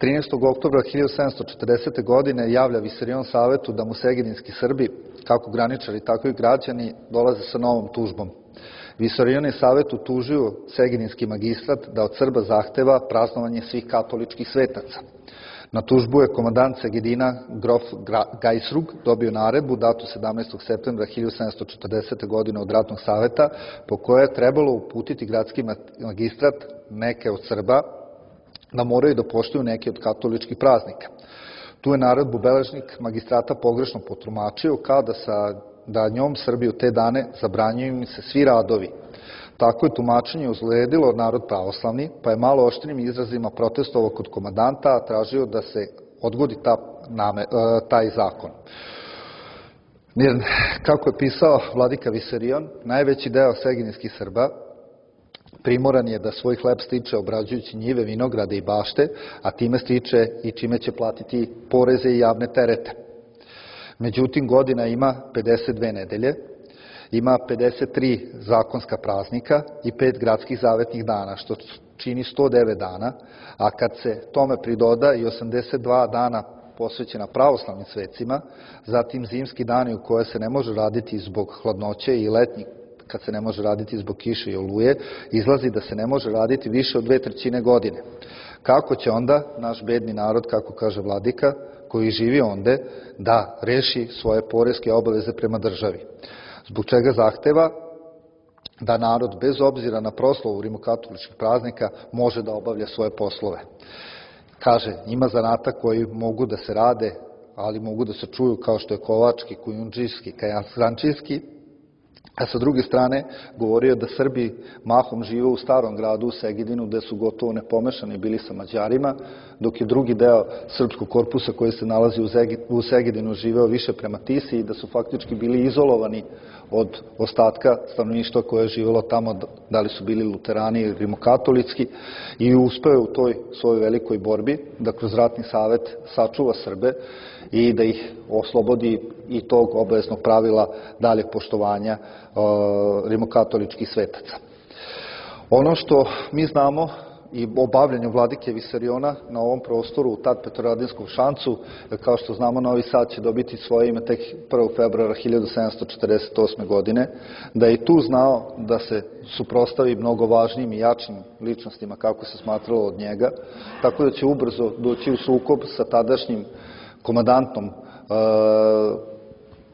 Speaker 1: 13. oktobra 1740. godine javlja Visarion savetu da mu segedinski Srbi, kako graničari, tako i građani, dolaze sa novom tužbom. Visarion je savetu tužio segedinski magistrat da od Srba zahteva praznovanje svih katoličkih svetaca. Na tužbu je komandant Segedina, grof Gajsrug, dobio naredbu datu 17. septembra 1740. godine od Ratnog saveta, po kojoj je trebalo uputiti gradski magistrat neke od Srba da moraju da poštuju neke od katoličkih praznika. Tu je naredbu beležnik magistrata pogrešno potumačio kao da njom Srbi u te dane zabranjuju im se svi radovi. Tako je tumačenje uzledilo narod pravoslavni, pa je malo oštrim izrazima protestovao kod komandanta, a tražio da se odgodi taj zakon. Jer, kako je pisao vladika Visarion, najveći deo segedinskih Srba primoran je da svoj hleb stiče obrađujući njive, vinograde i bašte, a time stiče i čime će platiti poreze i javne terete. Međutim, godina ima 52 nedelje, ima 53 zakonska praznika i 5 gradskih zavetnih dana, što čini 109 dana, a kad se tome pridoda i 82 dana posvećena pravoslavnim svecima, zatim zimski dani u koje se ne može raditi zbog hladnoće i letnji kad se ne može raditi zbog kiše i oluje, izlazi da se ne može raditi više od 2/3 godine. Kako će onda naš bedni narod, kako kaže vladika, koji živi onde, da reši svoje poreske obaveze prema državi? Zbog čega zahteva da narod, bez obzira na proslavu rimokatoličkih praznika, može da obavlja svoje poslove. Kaže, ima zanata koji mogu da se rade, ali mogu da se čuju, kao što je kovački, kujundžijski, kazančijski, a sa druge strane govorio da Srbi mahom žive u starom gradu u Segedinu, gde su gotovo nepomešani bili sa Mađarima, dok je drugi deo srpskog korpusa koji se nalazi u Segedinu živeo više prema Tisi i da su faktički bili izolovani od ostatka stanovništva koje je živelo tamo, da li su bili luterani ili rimokatolitski, i uspeo u toj svojoj velikoj borbi da kroz Ratni savet sačuva Srbe i da ih oslobodi i tog obaveznog pravila daljeg poštovanja rimokatoličkih svetaca. Ono što mi znamo i obavljanju vladike Visariona na ovom prostoru, tad Petrovaradinskom Šancu. Kao što znamo, Novi Sad će dobiti svoje ime tek 1. februara 1748. godine, da je i tu znao da se suprostavi mnogo važnijim i jačim ličnostima, kako se smatralo od njega, tako da će ubrzo doći u sukob sa tadašnjim komandantom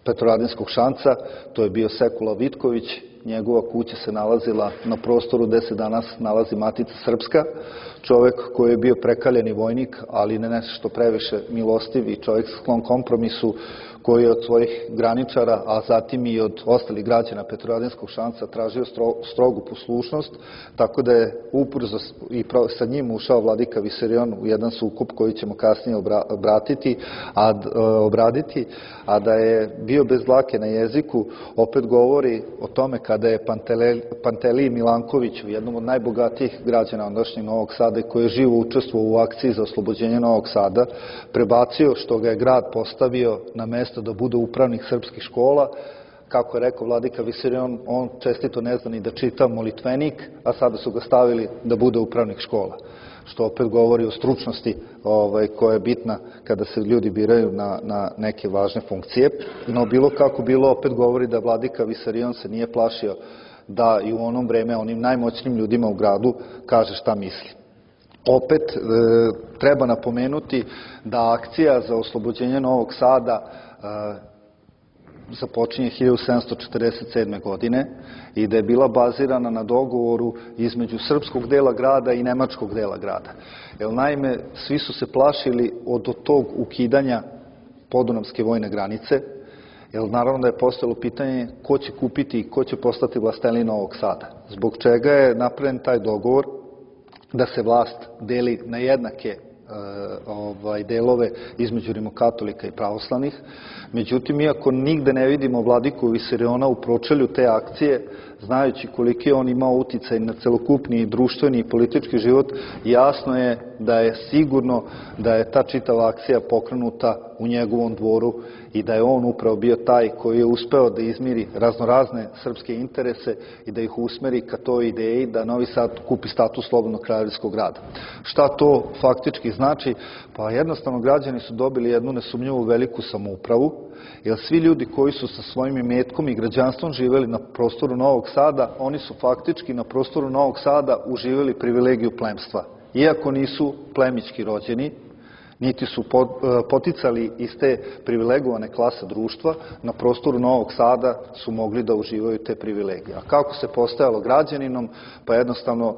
Speaker 1: Petrovaradinskog Šanca, to je bio Sekula Vitković. Njegova kuća se nalazila na prostoru gde se danas nalazi Matica Srpska, čovek koji je bio prekaljeni vojnik, ali ne nešto previše milostiv i čovek sklon kompromisu, koji je od svojih graničara, a zatim i od ostalih građana Petrovaradinskog Šanca tražio strogu poslušnost, tako da je ubrzo i sa njim ušao vladika Visarion u jedan sukob koji ćemo kasnije obraditi, a da je bio bez dlake na jeziku, opet govori o tome kada je Pantelij Milanković, jednom od najbogatijih građana ondašnjeg Novog Sada, koji je živo učestvovao u akciji za oslobođenje Novog Sada, prebacio, što ga je grad postavio na mesto da bude upravnik srpskih škola. Kako je rekao vladika Visarion, on čestito ne zna ni da čita molitvenik, a sada su ga stavili da bude upravnik škola, što opet govori o stručnosti koja je bitna kada se ljudi biraju na neke važne funkcije. No, bilo kako bilo, opet govori da vladika Visarion se nije plašio da i u onom vreme onim najmoćnijim ljudima u gradu kaže šta misli. Opet treba napomenuti da akcija za oslobođenje Novog Sada započinje 1747. godine i da je bila bazirana na dogovoru između srpskog dela grada i nemačkog dela grada. Jer naime, svi su se plašili od tog ukidanja podunavske vojne granice, jer naravno da je postojalo pitanje ko će kupiti i ko će postati vlastelin Novog Sada. Zbog čega je napravljen taj dogovor da se vlast deli na jednake delove između rimokatolika i pravoslavnih. Međutim, iako nigde ne vidimo vladiku Visariona u pročelju te akcije, znajući koliki on imao uticaj na celokupni društveni i politički život, jasno je da je sigurno da je ta čitava akcija pokrenuta u njegovom dvoru i da je on upravo bio taj koji je uspeo da izmiri raznorazne srpske interese i da ih usmeri ka toj ideji da Novi Sad kupi status slobodnog kraljevskog grada. Šta to faktički znači? Pa jednostavno građani su dobili jednu nesumnjivu veliku samoupravu, jer svi ljudi koji su sa svojim imetkom i građanstvom živeli na prostoru Novog Sada, oni su faktički na prostoru Novog Sada uživali privilegiju plemstva. Iako nisu plemićki rođeni, niti su poticali iz te privilegovane klase društva, na prostoru Novog Sada su mogli da uživaju te privilegije. A kako se postajalo građaninom? Pa jednostavno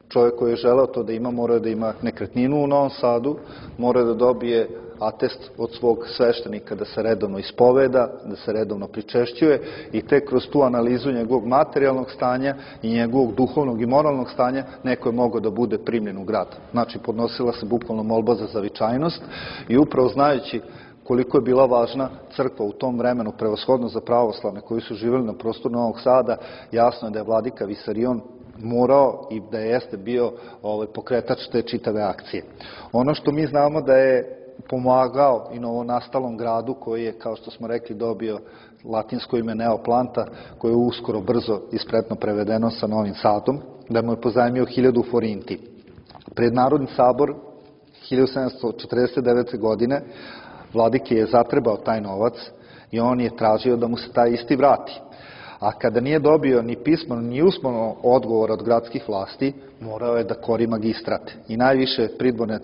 Speaker 1: čovjek koji je želeo to da ima, mora da ima nekretninu u Novom Sadu, mora da dobije atest od svog sveštenika da se redovno ispoveda, da se redovno pričešćuje i tek kroz tu analizu njegovog materijalnog stanja i njegovog duhovnog i moralnog stanja neko je mogao da bude primljen u grad. Znači, podnosila se bukvalno molba za zavičajnost i upravo znajući koliko je bila važna crkva u tom vremenu, prevashodno za pravoslavne koji su živjeli na prostoru Novog Sada, jasno je da je vladika Visarion morao i da jeste bio pokretač te čitave akcije. Ono što mi znamo da je pomagao i novonastalom gradu koji je, kao što smo rekli, dobio latinsko ime Neoplanta, koje je uskoro brzo i spretno prevedeno sa Novim Sadom, da mu je pozajmio 1000 forinti. Pred Narodni sabor 1749. godine vladike je zatrebao taj novac i on je tražio da mu se taj isti vrati. A kada nije dobio ni pismeno ni usmeno odgovor od gradskih vlasti, morao je da kori magistrat. I najviše pridvorne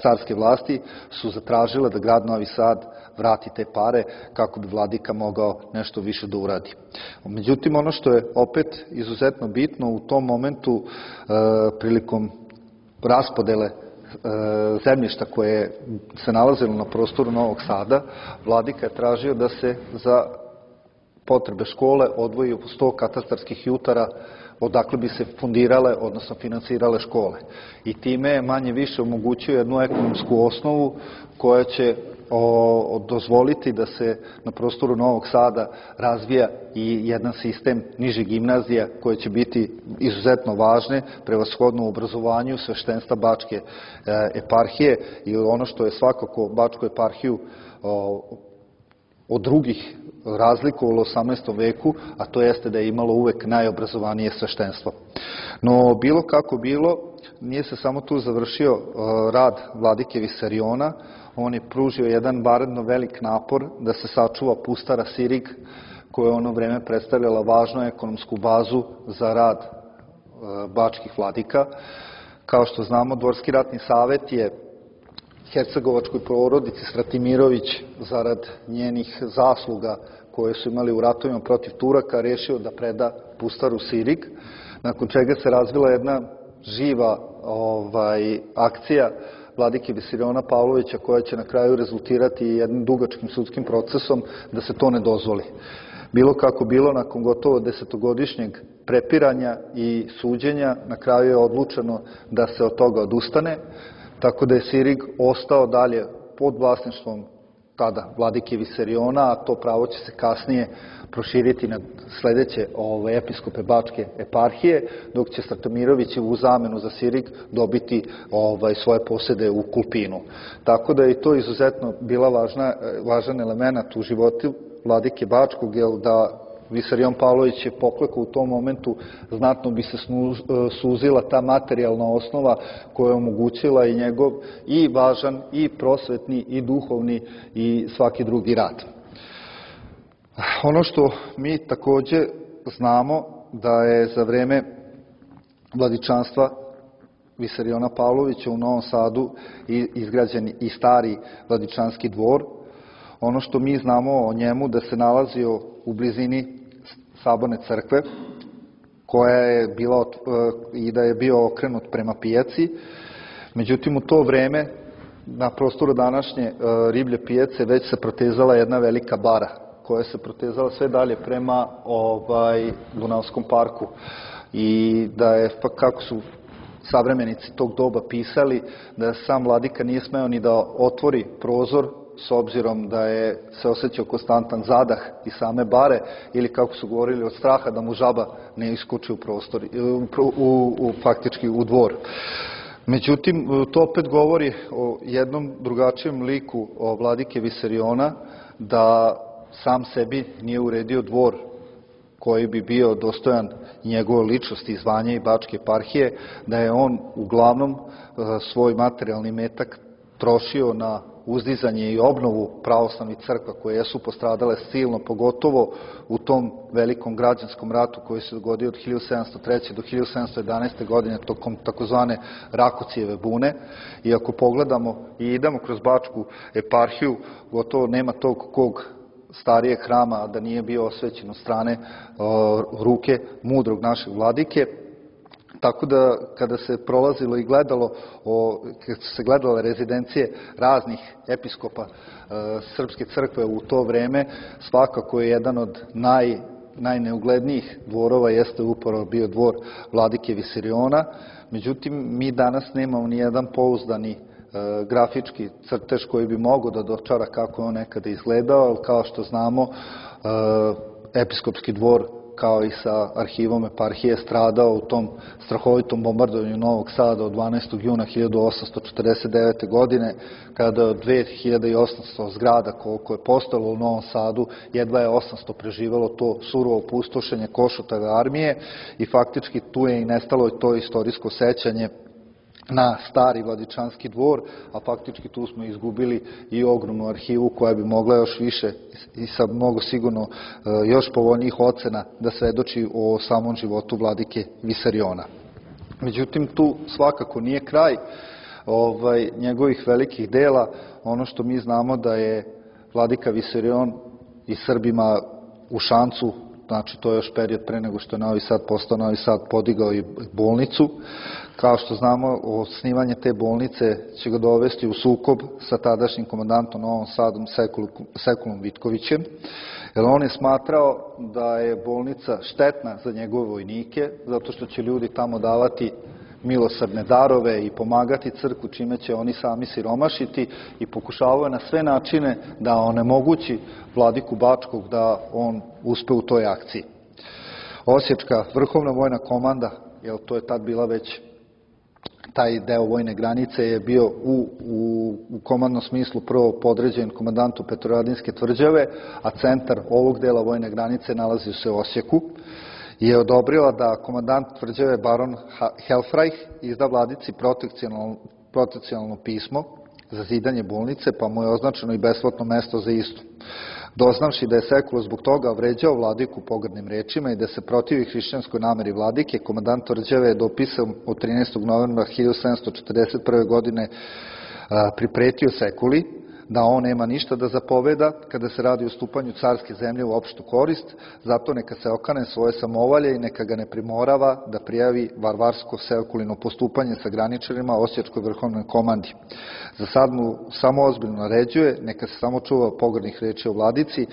Speaker 1: carske vlasti su zatražile da grad Novi Sad vrati te pare kako bi vladika mogao nešto više da uradi. Međutim, ono što je opet izuzetno bitno u tom momentu prilikom raspodele zemljišta koje se nalazilo na prostoru Novog Sada, vladika je tražio da se za potrebe škole odvoji 100 katastarskih jutara odakle bi se fundirale, odnosno finansirale škole. I time je manje više omogućio jednu ekonomsku osnovu koja će dozvoliti da se na prostoru Novog Sada razvija i jedan sistem nižih gimnazija koje će biti izuzetno važne, prevashodno u obrazovanju sveštenstva Bačke eparhije i ono što je svakako Bačku eparhiju od drugih razlikovalo u 18. veku, a to jeste da je imalo uvek najobrazovanije sveštenstvo. No, bilo kako bilo, nije se samo tu završio rad vladike Visariona, on je pružio jedan vanredno velik napor da se sačuva pustara Sirig, koja je ono vreme predstavljala važnu ekonomsku bazu za rad bačkih vladika. Kao što znamo, Dvorski ratni savet je hercegovačkoj porodici Stratimirović, zarad njenih zasluga koje su imali u ratovima protiv Turaka, rešio da preda pustaru Sirig, nakon čega se razvila jedna živa akcija vladike Visariona Pavlovića, koja će na kraju rezultirati jednim dugačkim sudskim procesom da se to ne dozvoli. Bilo kako bilo, nakon gotovo 10-godišnjeg prepiranja i suđenja, na kraju je odlučeno da se od toga odustane, tako da je Sirig ostao dalje pod vlasništvom tada vladike Visariona, a to pravo će se kasnije proširiti na sledeće episkope Bačke eparhije, dok će Stratimirović u zamenu za Sirig dobiti svoje posede u Kulpinu. Tako da je to izuzetno bila važan element u životu vladike Bačkog, jer da Visarion Pavlović je poklekao u tom momentu, znatno bi se suzila ta materijalna osnova koja je omogućila i njegov i važan, i prosvetni, i duhovni, i svaki drugi rad. Ono što mi takođe znamo da je za vreme vladičanstva Visariona Pavlovića u Novom Sadu izgrađen i stari vladičanski dvor. Ono što mi znamo o njemu da se nalazio u blizini Saborne crkve, koja je bila i da je bio okrenut prema pijaci. Međutim, u to vreme na prostoru današnje riblje pijace već se protezala jedna velika bara, koja se protezala sve dalje prema Dunavskom parku. I da je, kako su savremenici tog doba pisali, da sam vladika nije smeo ni da otvori prozor, s obzirom da je se osjećao konstantan zadah i same bare, ili kako su govorili, od straha da mu žaba ne iskoči u prostor, faktički u dvor. Međutim, to opet govori o jednom drugačijem liku vladike Visariona, da sam sebi nije uredio dvor koji bi bio dostojan njegove ličnosti, zvanja i Bačke eparhije, da je on uglavnom svoj materijalni metak trošio na uzdizanje i obnovu pravoslavnih crkva koje jesu postradale silno, pogotovo u tom velikom građanskom ratu koji se dogodio od 1703. do 1711. godine tokom takozvane Rakocijeve bune. I ako pogledamo i idemo kroz Bačku eparhiju, gotovo nema tog kog starijeg hrama da nije bio osvećen od strane ruke mudrog našeg vladike. Tako da kada se prolazilo i gledalo, kada su se gledale rezidencije raznih episkopa Srpske crkve u to vreme, svakako je jedan od najneuglednijih dvorova jeste upravo bio dvor vladike Visariona. Međutim, mi danas nemamo ni jedan pouzdani grafički crtež koji bi mogao da dočara kako je on nekada izgledao, ali kao što znamo, episkopski dvor kao i sa arhivom eparhije stradao u tom strahovitom bombardovanju Novog Sada od 12. juna 1849. godine, kada od 2800 zgrada koliko je postalo u Novom Sadu, jedva je 800 preživalo to surovo opustošenje Košutove armije i faktički tu je i nestalo to istorijsko sećanje na stari vladičanski dvor, a faktički tu smo izgubili i ogromnu arhivu koja bi mogla još više i sa mnogo sigurno još povoljnijih ocena da svedoči o samom životu vladike Visariona. Međutim, tu svakako nije kraj njegovih velikih dela. Ono što mi znamo da je vladika Visarion i Srbima u Šancu, znači to je još period pre nego što je Novi Sad postao Novi Sad, podigao i bolnicu. Kao što znamo, osnivanje te bolnice će ga dovesti u sukob sa tadašnjim komandantom Novom Sadom Sekulom Vitkovićem, jer on je smatrao da je bolnica štetna za njegove vojnike, zato što će ljudi tamo davati milosrdne darove i pomagati crkvu, čime će oni sami siromašiti, i pokušavao je na sve načine da onemogući vladiku Bačkog da on uspe u toj akciji. Osječka vrhovna vojna komanda, jer to je tad bila već taj deo vojne granice, je bio u komandnom smislu prvo podređen komandantu Petrovaradinske tvrđave, a centar ovog dela vojne granice nalazi se u Osijeku. je odobrila da komandant tvrđave baron Helfreich izda vladici protekcionalno pismo za zidanje bolnice, pa mu je označeno i besplatno mesto za istu. Doznavši da je Sekula zbog toga vređao vladiku pogrdnim rečima i da se protivi hrišćanskoj nameri vladike, komandant tvrđave je dopisom od 13. novembra 1741. godine pripretio Sekuli da on nema ništa da zapoveda kada se radi o stupanju carske zemlje u opštu korist, zato neka se okane svoje samovolje i neka ga ne primorava da prijavi varvarsko Sekulino postupanje sa graničarima Osječkoj vrhovnoj komandi. Za sad mu samo ozbiljno naređuje, neka se samo čuva pogrdnih reči o vladici,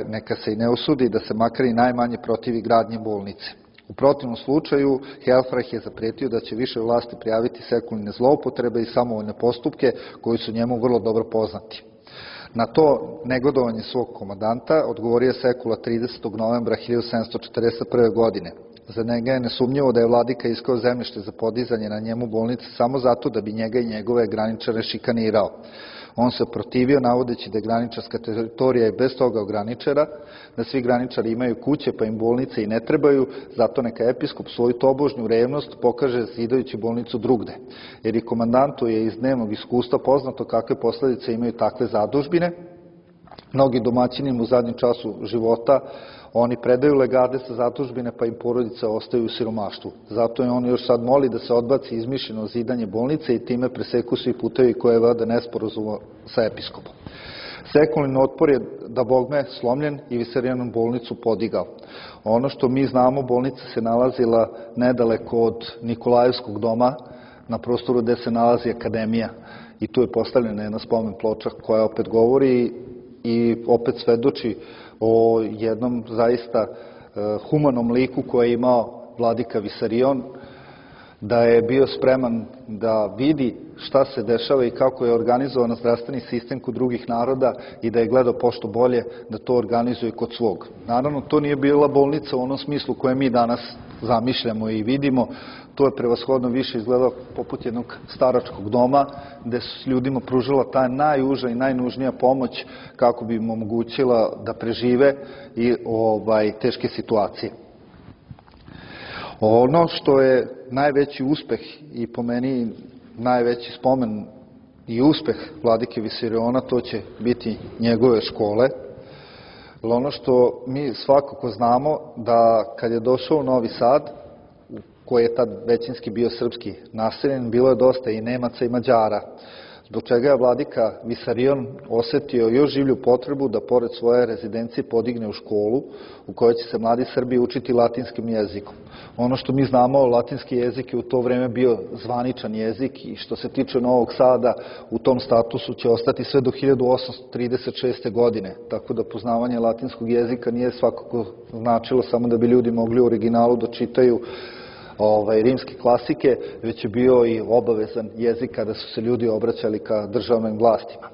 Speaker 1: neka se i ne usudi da se makar i najmanje protivi gradnje bolnice. U protivnom slučaju, Helfreich je zapretio da će više vlasti prijaviti Sekuline zloupotrebe i samovoljne postupke koji su njemu vrlo dobro poznati. Na to negodovanje svog komandanta odgovorio Sekula 30. novembra 1741. godine. Za njega je nesumnjivo da je vladika iskao zemljište za podizanje na njemu bolnice samo zato da bi njega i njegove graničare šikanirao. On se protivio navodeći da je graničarska teritorija i bez toga ograničena, da svi graničari imaju kuće pa im bolnice i ne trebaju, zato neka episkop svoju tobožnju revnost pokaže zidajući bolnicu drugde. Jer i komandantu je iz dnevnog iskustva poznato kakve posledice imaju takve zadužbine. Mnogi domaćini u zadnjem času života oni predaju legade sa zadužbine pa im porodice ostaju u siromaštvu. Zato je on još sad moli da se odbaci izmišljeno zidanje bolnice i time preseku svi putevi koje vode nesporazuma sa episkopom. Sekulin otpor je da bogme slomljen i Visarijonom bolnicu podigao. Ono što mi znamo, bolnica se nalazila nedaleko od Nikolajevskog doma, na prostoru gde se nalazi akademija. I tu je postavljena jedna spomen ploča koja opet govori i opet svedoči o jednom zaista humanom liku koji je imao vladika Visarion, da je bio spreman da vidi šta se dešava i kako je organizovan zdravstveni sistem kod drugih naroda i da je gledao pošto bolje da to organizuje kod svog. Naravno, to nije bila bolnica u onom smislu koje mi danas zamišljamo i vidimo. To je prevashodno više izgledao poput jednog staračkog doma gde su ljudima pružila ta najuža i najnužnija pomoć kako bi im omogućila da prežive i teške situacije. Ono što je najveći uspeh i po meni najveći spomen i uspeh vladike Visariona, to će biti njegove škole. Ono što mi svakako znamo da kad je došao u Novi Sad, koji je tad većinski bio srpski naseljen, bilo je dosta i Nemaca i Mađara, zbog čega je vladika Visarion osetio još življu potrebu da pored svoje rezidencije podigne u školu u kojoj će se mladi Srbi učiti latinskim jezikom. Ono što mi znamo, latinski jezik je u to vreme bio zvaničan jezik i što se tiče Novog Sada, u tom statusu će ostati sve do 1836. godine, tako da poznavanje latinskog jezika nije svakako značilo samo da bi ljudi mogli u originalu da čitaju rimske klasike, već je bio i obavezan jezik kada su se ljudi obraćali ka državnim vlastima.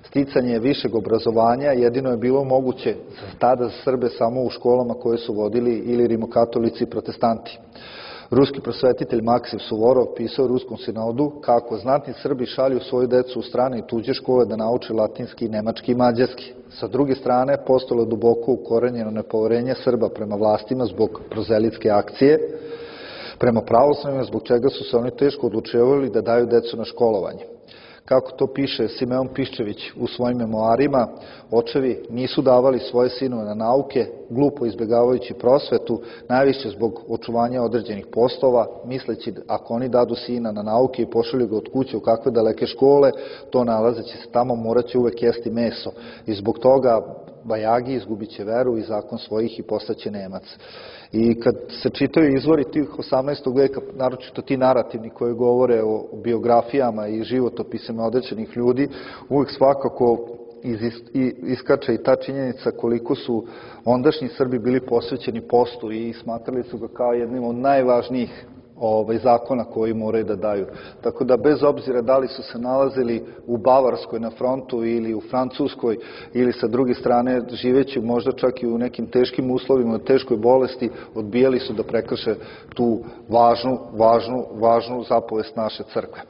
Speaker 1: Sticanje višeg obrazovanja jedino je bilo moguće tada za Srbe samo u školama koje su vodili ili rimokatolici i protestanti. Ruski prosvetitelj Maksim Suvorov pisao u Ruskom sinodu kako znatni Srbi šalju svoju decu u strane i tuđe škole da nauče latinski, nemački i mađarski. Sa druge strane, postalo duboko ukorenjeno nepoverenje Srba prema vlastima zbog prozelitske akcije, prema pravoslavnim, zbog čega su se oni teško odlučivali da daju decu na školovanje. Kako to piše Simeon Piščević u svojim memoarima, očevi nisu davali svoje sinove na nauke, glupo izbjegavajući prosvetu, najviše zbog očuvanja određenih poslova, misleći ako oni dadu sina na nauke i pošalju ga od kuće u kakve daleke škole, to nalazeći se tamo moraće uvek jesti meso. I zbog toga bajagi izgubit će veru i zakon svojih i postaće Nemac. I kad se čitaju izvori tih 18. veka, naročito ti narativni koji govore o biografijama i životopisima određenih ljudi, uvek svakako iskače i ta činjenica koliko su ondašnji Srbi bili posvećeni postu i smatrali su ga kao jednim od najvažnijih zakona koji moraju da daju. Tako da bez obzira da li su se nalazili u Bavarskoj na frontu ili u Francuskoj ili sa druge strane živeći možda čak i u nekim teškim uslovima, teškoj bolesti, odbijali su da prekrše tu važnu zapovest naše crkve.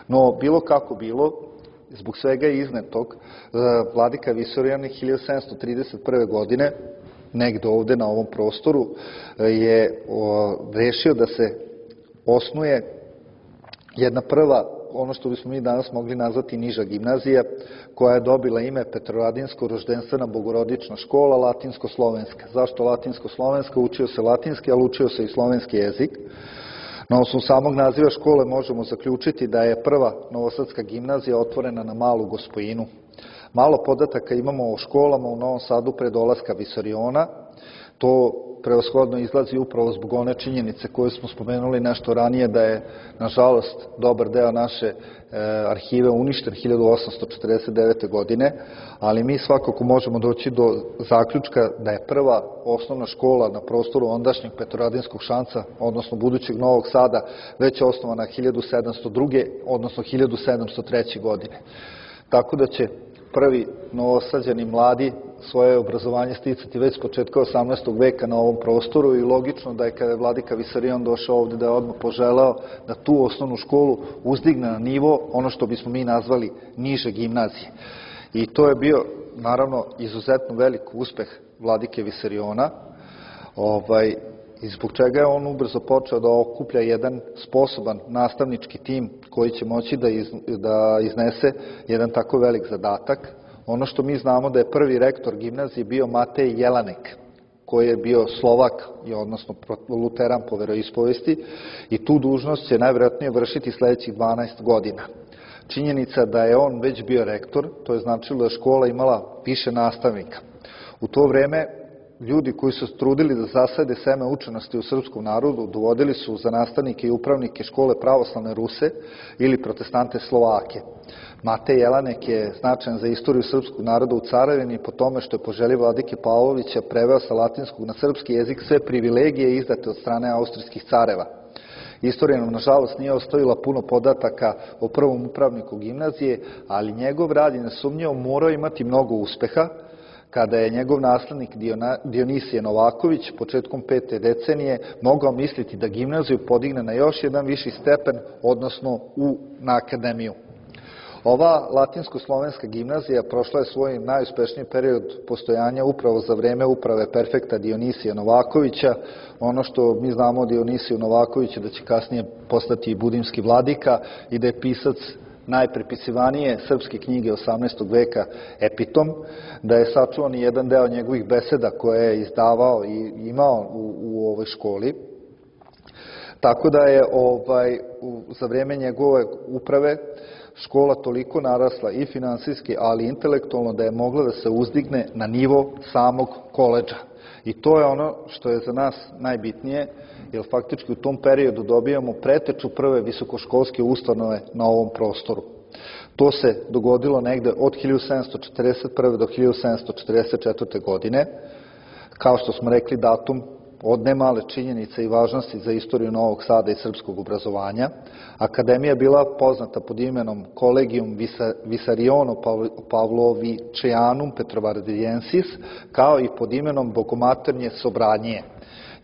Speaker 1: No, bilo kako bilo, zbog svega iznetog, vladika Visarion 1731. godine negde ovde na ovom prostoru je rešio da se osnuje jedna prva, ono što bismo mi danas mogli nazvati niža gimnazija, koja je dobila ime Petrovaradinsko-roždenstvena bogorodična škola, latinsko-slovenska. Zašto latinsko-slovenska? Učio se latinski, ali učio se i slovenski jezik. Na osnovu samog naziva škole možemo zaključiti da je prva novosadska gimnazija otvorena na Malu Gospojinu. Malo podataka imamo o školama u Novom Sadu pre dolaska Visariona. To prevashodno izlazi upravo zbog one činjenice koje smo spomenuli nešto ranije, da je, nažalost, dobar deo naše arhive uništen 1849. godine, ali mi svakako možemo doći do zaključka da je prva osnovna škola na prostoru ondašnjeg Petrovaradinskog Šanca, odnosno budućeg Novog Sada, već osnovana 1702. odnosno 1703. godine. Tako da će prvi novosađani mladi svoje obrazovanje sticati već s početka 18. veka na ovom prostoru i logično da je kada je vladika Visarion došao ovde da je odmah poželeo da tu osnovnu školu uzdigne na nivo, ono što bismo mi nazvali niže gimnazije. I to je bio, naravno, izuzetno velik uspeh vladike Visariona, i zbog čega je on ubrzo počeo da okuplja jedan sposoban nastavnički tim koji će moći da iznese jedan tako velik zadatak. Ono što mi znamo da je prvi rektor gimnazije bio Matej Jelanek, koji je bio Slovak, odnosno luteran po veroispovesti, i tu dužnost će najvjerojatnije vršiti sledećih 12 godina. Činjenica da je on već bio rektor, to je značilo da je škola imala više nastavnika. U to vreme ljudi koji su trudili da zasade seme učenosti u srpskom narodu dovodili su za nastavnike i upravnike škole pravoslavne Ruse ili protestante Slovake. Matej Jelanek je značajan za istoriju srpskog naroda u Carevini po tome što je po želji vladike Pavlovića preveo sa latinskog na srpski jezik sve privilegije izdate od strane austrijskih careva. Istorija nam, nažalost, nije ostavila puno podataka o prvom upravniku gimnazije, ali njegov rad je nesumnjivo morao imati mnogo uspeha, kada je njegov naslednik Dionisije Novaković početkom 5. decenije mogao misliti da gimnaziju podigne na još jedan viši stepen, odnosno na akademiju. Ova latinsko-slovenska gimnazija prošla je svoj najuspešniji period postojanja upravo za vreme uprave perfekta Dionisija Novakovića. Ono što mi znamo o Dionisiju Novakoviću da će kasnije postati i budimski vladika i da je pisac najprepisivanije srpske knjige 18. veka Epitom, da je sačuvan i jedan deo njegovih beseda koje je izdavao i imao u ovoj školi. Tako da je za vreme njegove uprave škola toliko narasla i finansijski, ali i intelektualno da je mogla da se uzdigne na nivo samog koledža. I to je ono što je za nas najbitnije, jer faktički u tom periodu dobijamo preteču prve visokoškolske ustanove na ovom prostoru. To se dogodilo negde od 1741. do 1744. godine. Kao što smo rekli, datum od nemale činjenice i važnosti za istoriju Novog Sada i srpskog obrazovanja. Akademija je bila poznata pod imenom Collegium Visariono Pavlovičianum Petrovaradiensis, kao i pod imenom Bogomaternje Sobranije.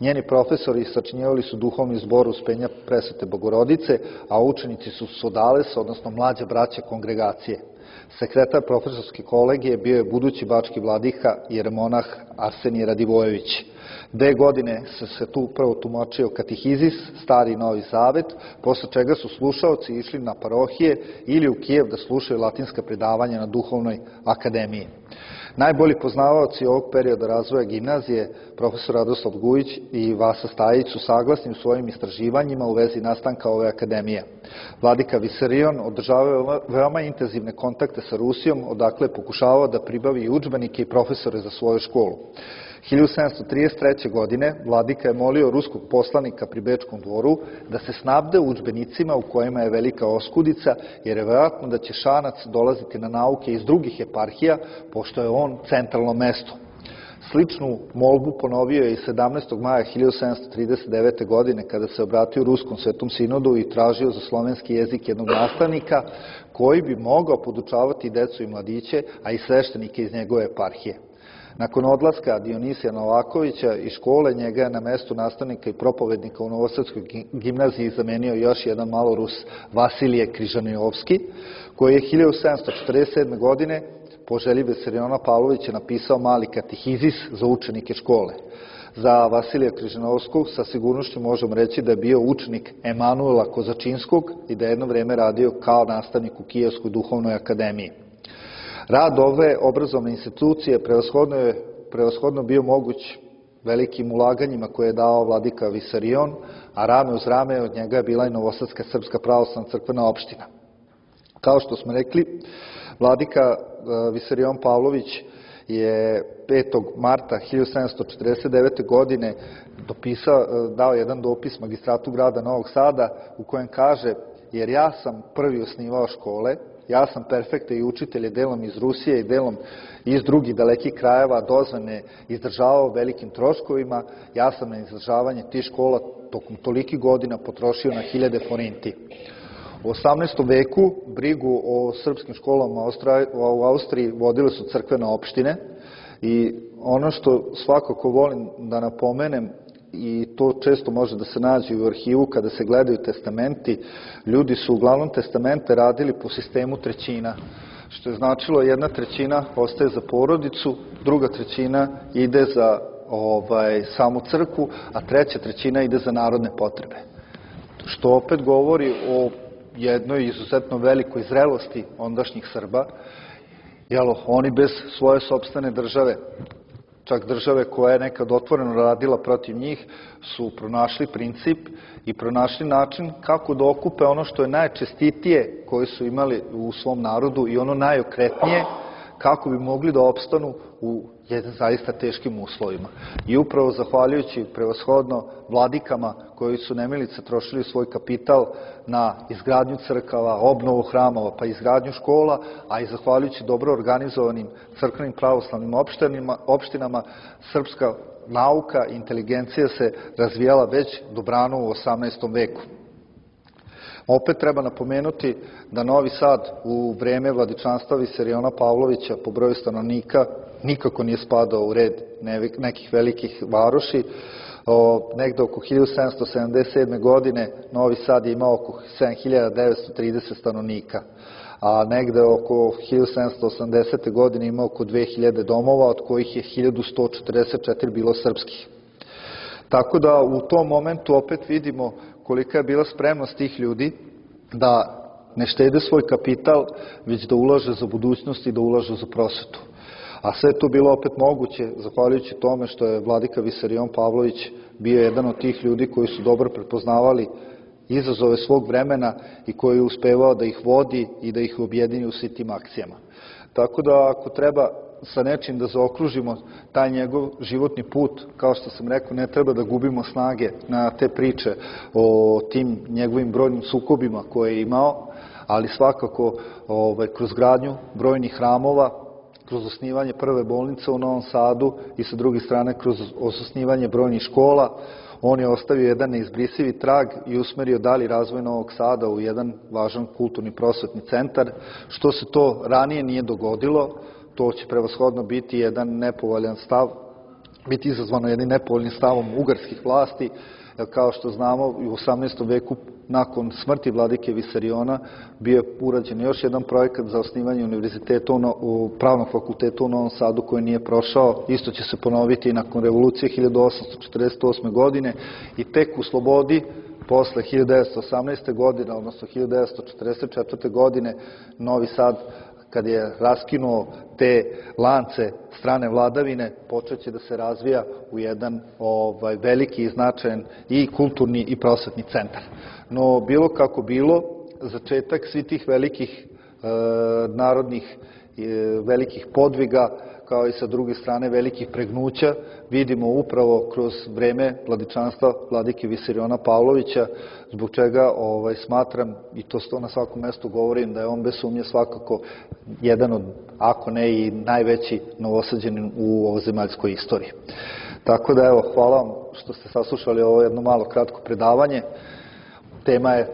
Speaker 1: Njeni profesori sačinjevali su duhovni zbor Uspenja Presvete Bogorodice, a učenici su Sodales, odnosno mlađa braća kongregacije. Sekretar profesorske kolegije bio je budući bački vladika jeremonah Arsenije Radivojević. 2 godine se tu prvo tumačio katehizis, Stari i Novi Zavet, posle čega su slušaoci išli na parohije ili u Kijev da slušaju latinska predavanja na duhovnoj akademiji. Najbolji poznavaoci ovog perioda razvoja gimnazije, profesor Radoslav Gujić i Vasa Stajić, su saglasni u svojim istraživanjima u vezi nastanka ove akademije. Vladika Visarion održavao veoma intenzivne kontakte sa Rusijom, odakle je pokušavao da pribavi i udžbenike i profesore za svoju školu. 1733. godine vladika je molio ruskog poslanika pri Bečkom dvoru da se snabde udžbenicima u kojima je velika oskudica, jer je verovatno da će Šanac dolaziti na nauke iz drugih eparhija, pošto je on centralno mesto. Sličnu molbu ponovio je i 17. maja 1739. godine kada se obratio Ruskom svetom sinodu i tražio za slovenski jezik jednog nastavnika koji bi mogao podučavati decu i mladiće, a i sveštenike iz njegove eparhije. Nakon odlaska Dionisija Novakovića iz škole, njega je na mestu nastavnika i propovednika u Novosadskoj gimnaziji zamenio još jedan malorus, Vasilije Križanijovski, koji je 1747. godine po želji Visariona Pavlovića napisao mali katehizis za učenike škole. Za Vasilija Križinovskog sa sigurnošću možemo reći da je bio učenik Emanuela Kozačinskog i da je jedno vreme radio kao nastavnik u Kijevskoj duhovnoj akademiji. Rad ove obrazovne institucije prevashodno bio moguć velikim ulaganjima koje je dao vladika Visarion, a rame uz rame od njega je bila i Novosadska srpska pravoslavna crkvena opština. Kao što smo rekli, vladika Visarion Pavlović je 5. marta 1749. godine dao jedan dopis magistratu grada Novog Sada u kojem kaže: jer ja sam prvi osnivao škole, ja sam perfekte i učitelje delom iz Rusije i delom iz drugih dalekih krajeva dozvane izdržavao velikim troškovima, ja sam na izdržavanje tih škola tokom tolikih godina potrošio na 1000 forinti. U 18. veku brigu o srpskim školama u Austriji vodile su crkvene opštine i ono što svakako volim da napomenem, i to često može da se nađe u arhivu kada se gledaju testamenti, ljudi su uglavnom testamente radili po sistemu trećina, što je značilo 1/3 ostaje za porodicu, 2/3 ide za samu crkvu, a 3/3 ide za narodne potrebe. Što opet govori o jednoj izuzetno velikoj zrelosti ondašnjih Srba, jer oni bez svoje sopstvene države, čak države koja je nekad otvoreno radila protiv njih, su pronašli princip i pronašli način kako da okupe ono što je najčestitije koje su imali u svom narodu i ono najokretnije, kako bi mogli da opstanu u zaista teškim uslovima. I upravo zahvaljujući prevashodno vladikama koji su nemilice trošili svoj kapital na izgradnju crkava, obnovu hramova, pa izgradnju škola, a i zahvaljujući dobro organizovanim crkvenim pravoslavnim opštinama, srpska nauka i inteligencija se razvijala već dobrano u 18. veku. Opet treba napomenuti da Novi Sad u vreme vladičanstva Visariona Pavlovića po broju stanovnika nikako nije spadao u red nekih velikih varoši. Negde oko 1777. godine Novi Sad je imao oko 7930 stanovnika, a negde oko 1780. godine imao oko 2000 domova, od kojih je 1144 bilo srpskih. Tako da u tom momentu opet vidimo kolika je bila spremnost tih ljudi da ne štede svoj kapital, već da ulaže za budućnost i da ulaže za prosvetu. A sve to bilo opet moguće zahvaljujući tome što je vladika Visarion Pavlović bio jedan od tih ljudi koji su dobro prepoznavali izazove svog vremena i koji je uspevao da ih vodi i da ih objedini u svim tim akcijama. Tako da ako treba sa nečim da zaokružimo taj njegov životni put, kao što sam rekao, ne treba da gubimo snage na te priče o tim njegovim brojnim sukobima koje je imao, ali svakako kroz gradnju brojnih hramova, kroz osnivanje prve bolnice u Novom Sadu i sa druge strane kroz osnivanje brojnih škola, on je ostavio jedan neizbrisivi trag i usmerio dalji razvoj Novog Sada u jedan važan kulturni prosvetni centar. Što se to ranije nije dogodilo, to će prevashodno biti jedan nepovoljan stav, biti izazvano jednim nepovoljnim stavom ugarskih vlasti, jer kao što znamo u 18. veku nakon smrti vladike Visariona bio je urađen još jedan projekat za osnivanje univerziteta u Pravnog fakulteta u Novom Sadu koji nije prošao. Isto će se ponoviti i nakon revolucije 1848. godine i tek u slobodi posle 1918. godine, odnosno 1944. godine, Novi Sad, kad je raskinuo te lance strane vladavine, počeće da se razvija u jedan veliki i značajan i kulturni i prosvetni centar. No, bilo kako bilo, začetak svih tih velikih narodnih velikih podviga, kao i sa druge strane velikih pregnuća, vidimo upravo kroz vreme vladičanstva vladike Visariona Pavlovića, zbog čega smatram, i to na svakom mestu govorim, da je on bez sumnje svakako jedan od, ako ne i najveći Novosađanin u ovozemaljskoj istoriji. Tako da, evo, hvala vam što ste saslušali ovo jedno malo kratko predavanje. Tema je,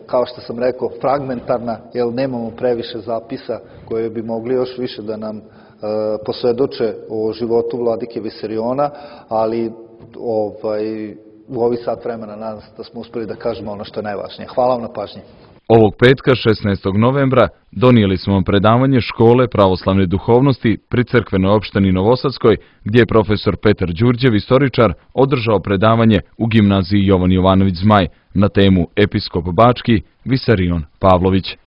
Speaker 1: kao što sam rekao, fragmentarna, jer nemamo previše zapisa koje bi mogli još više da nam posvedoče o životu vladike Visariona, ali u ovih sat vremena nadam se da smo uspeli da kažemo ono što je najvažnije. Hvala vam na pažnji.
Speaker 2: Ovog petka, 16. novembra, donijeli smo vam predavanje Škole pravoslavne duhovnosti pri crkvenoj opštini Novosadskoj, gdje je profesor Petar Đurđev, istoričar, održao predavanje u gimnaziji Jovan Jovanović Zmaj na temu Episkop Bački Visarion Pavlović.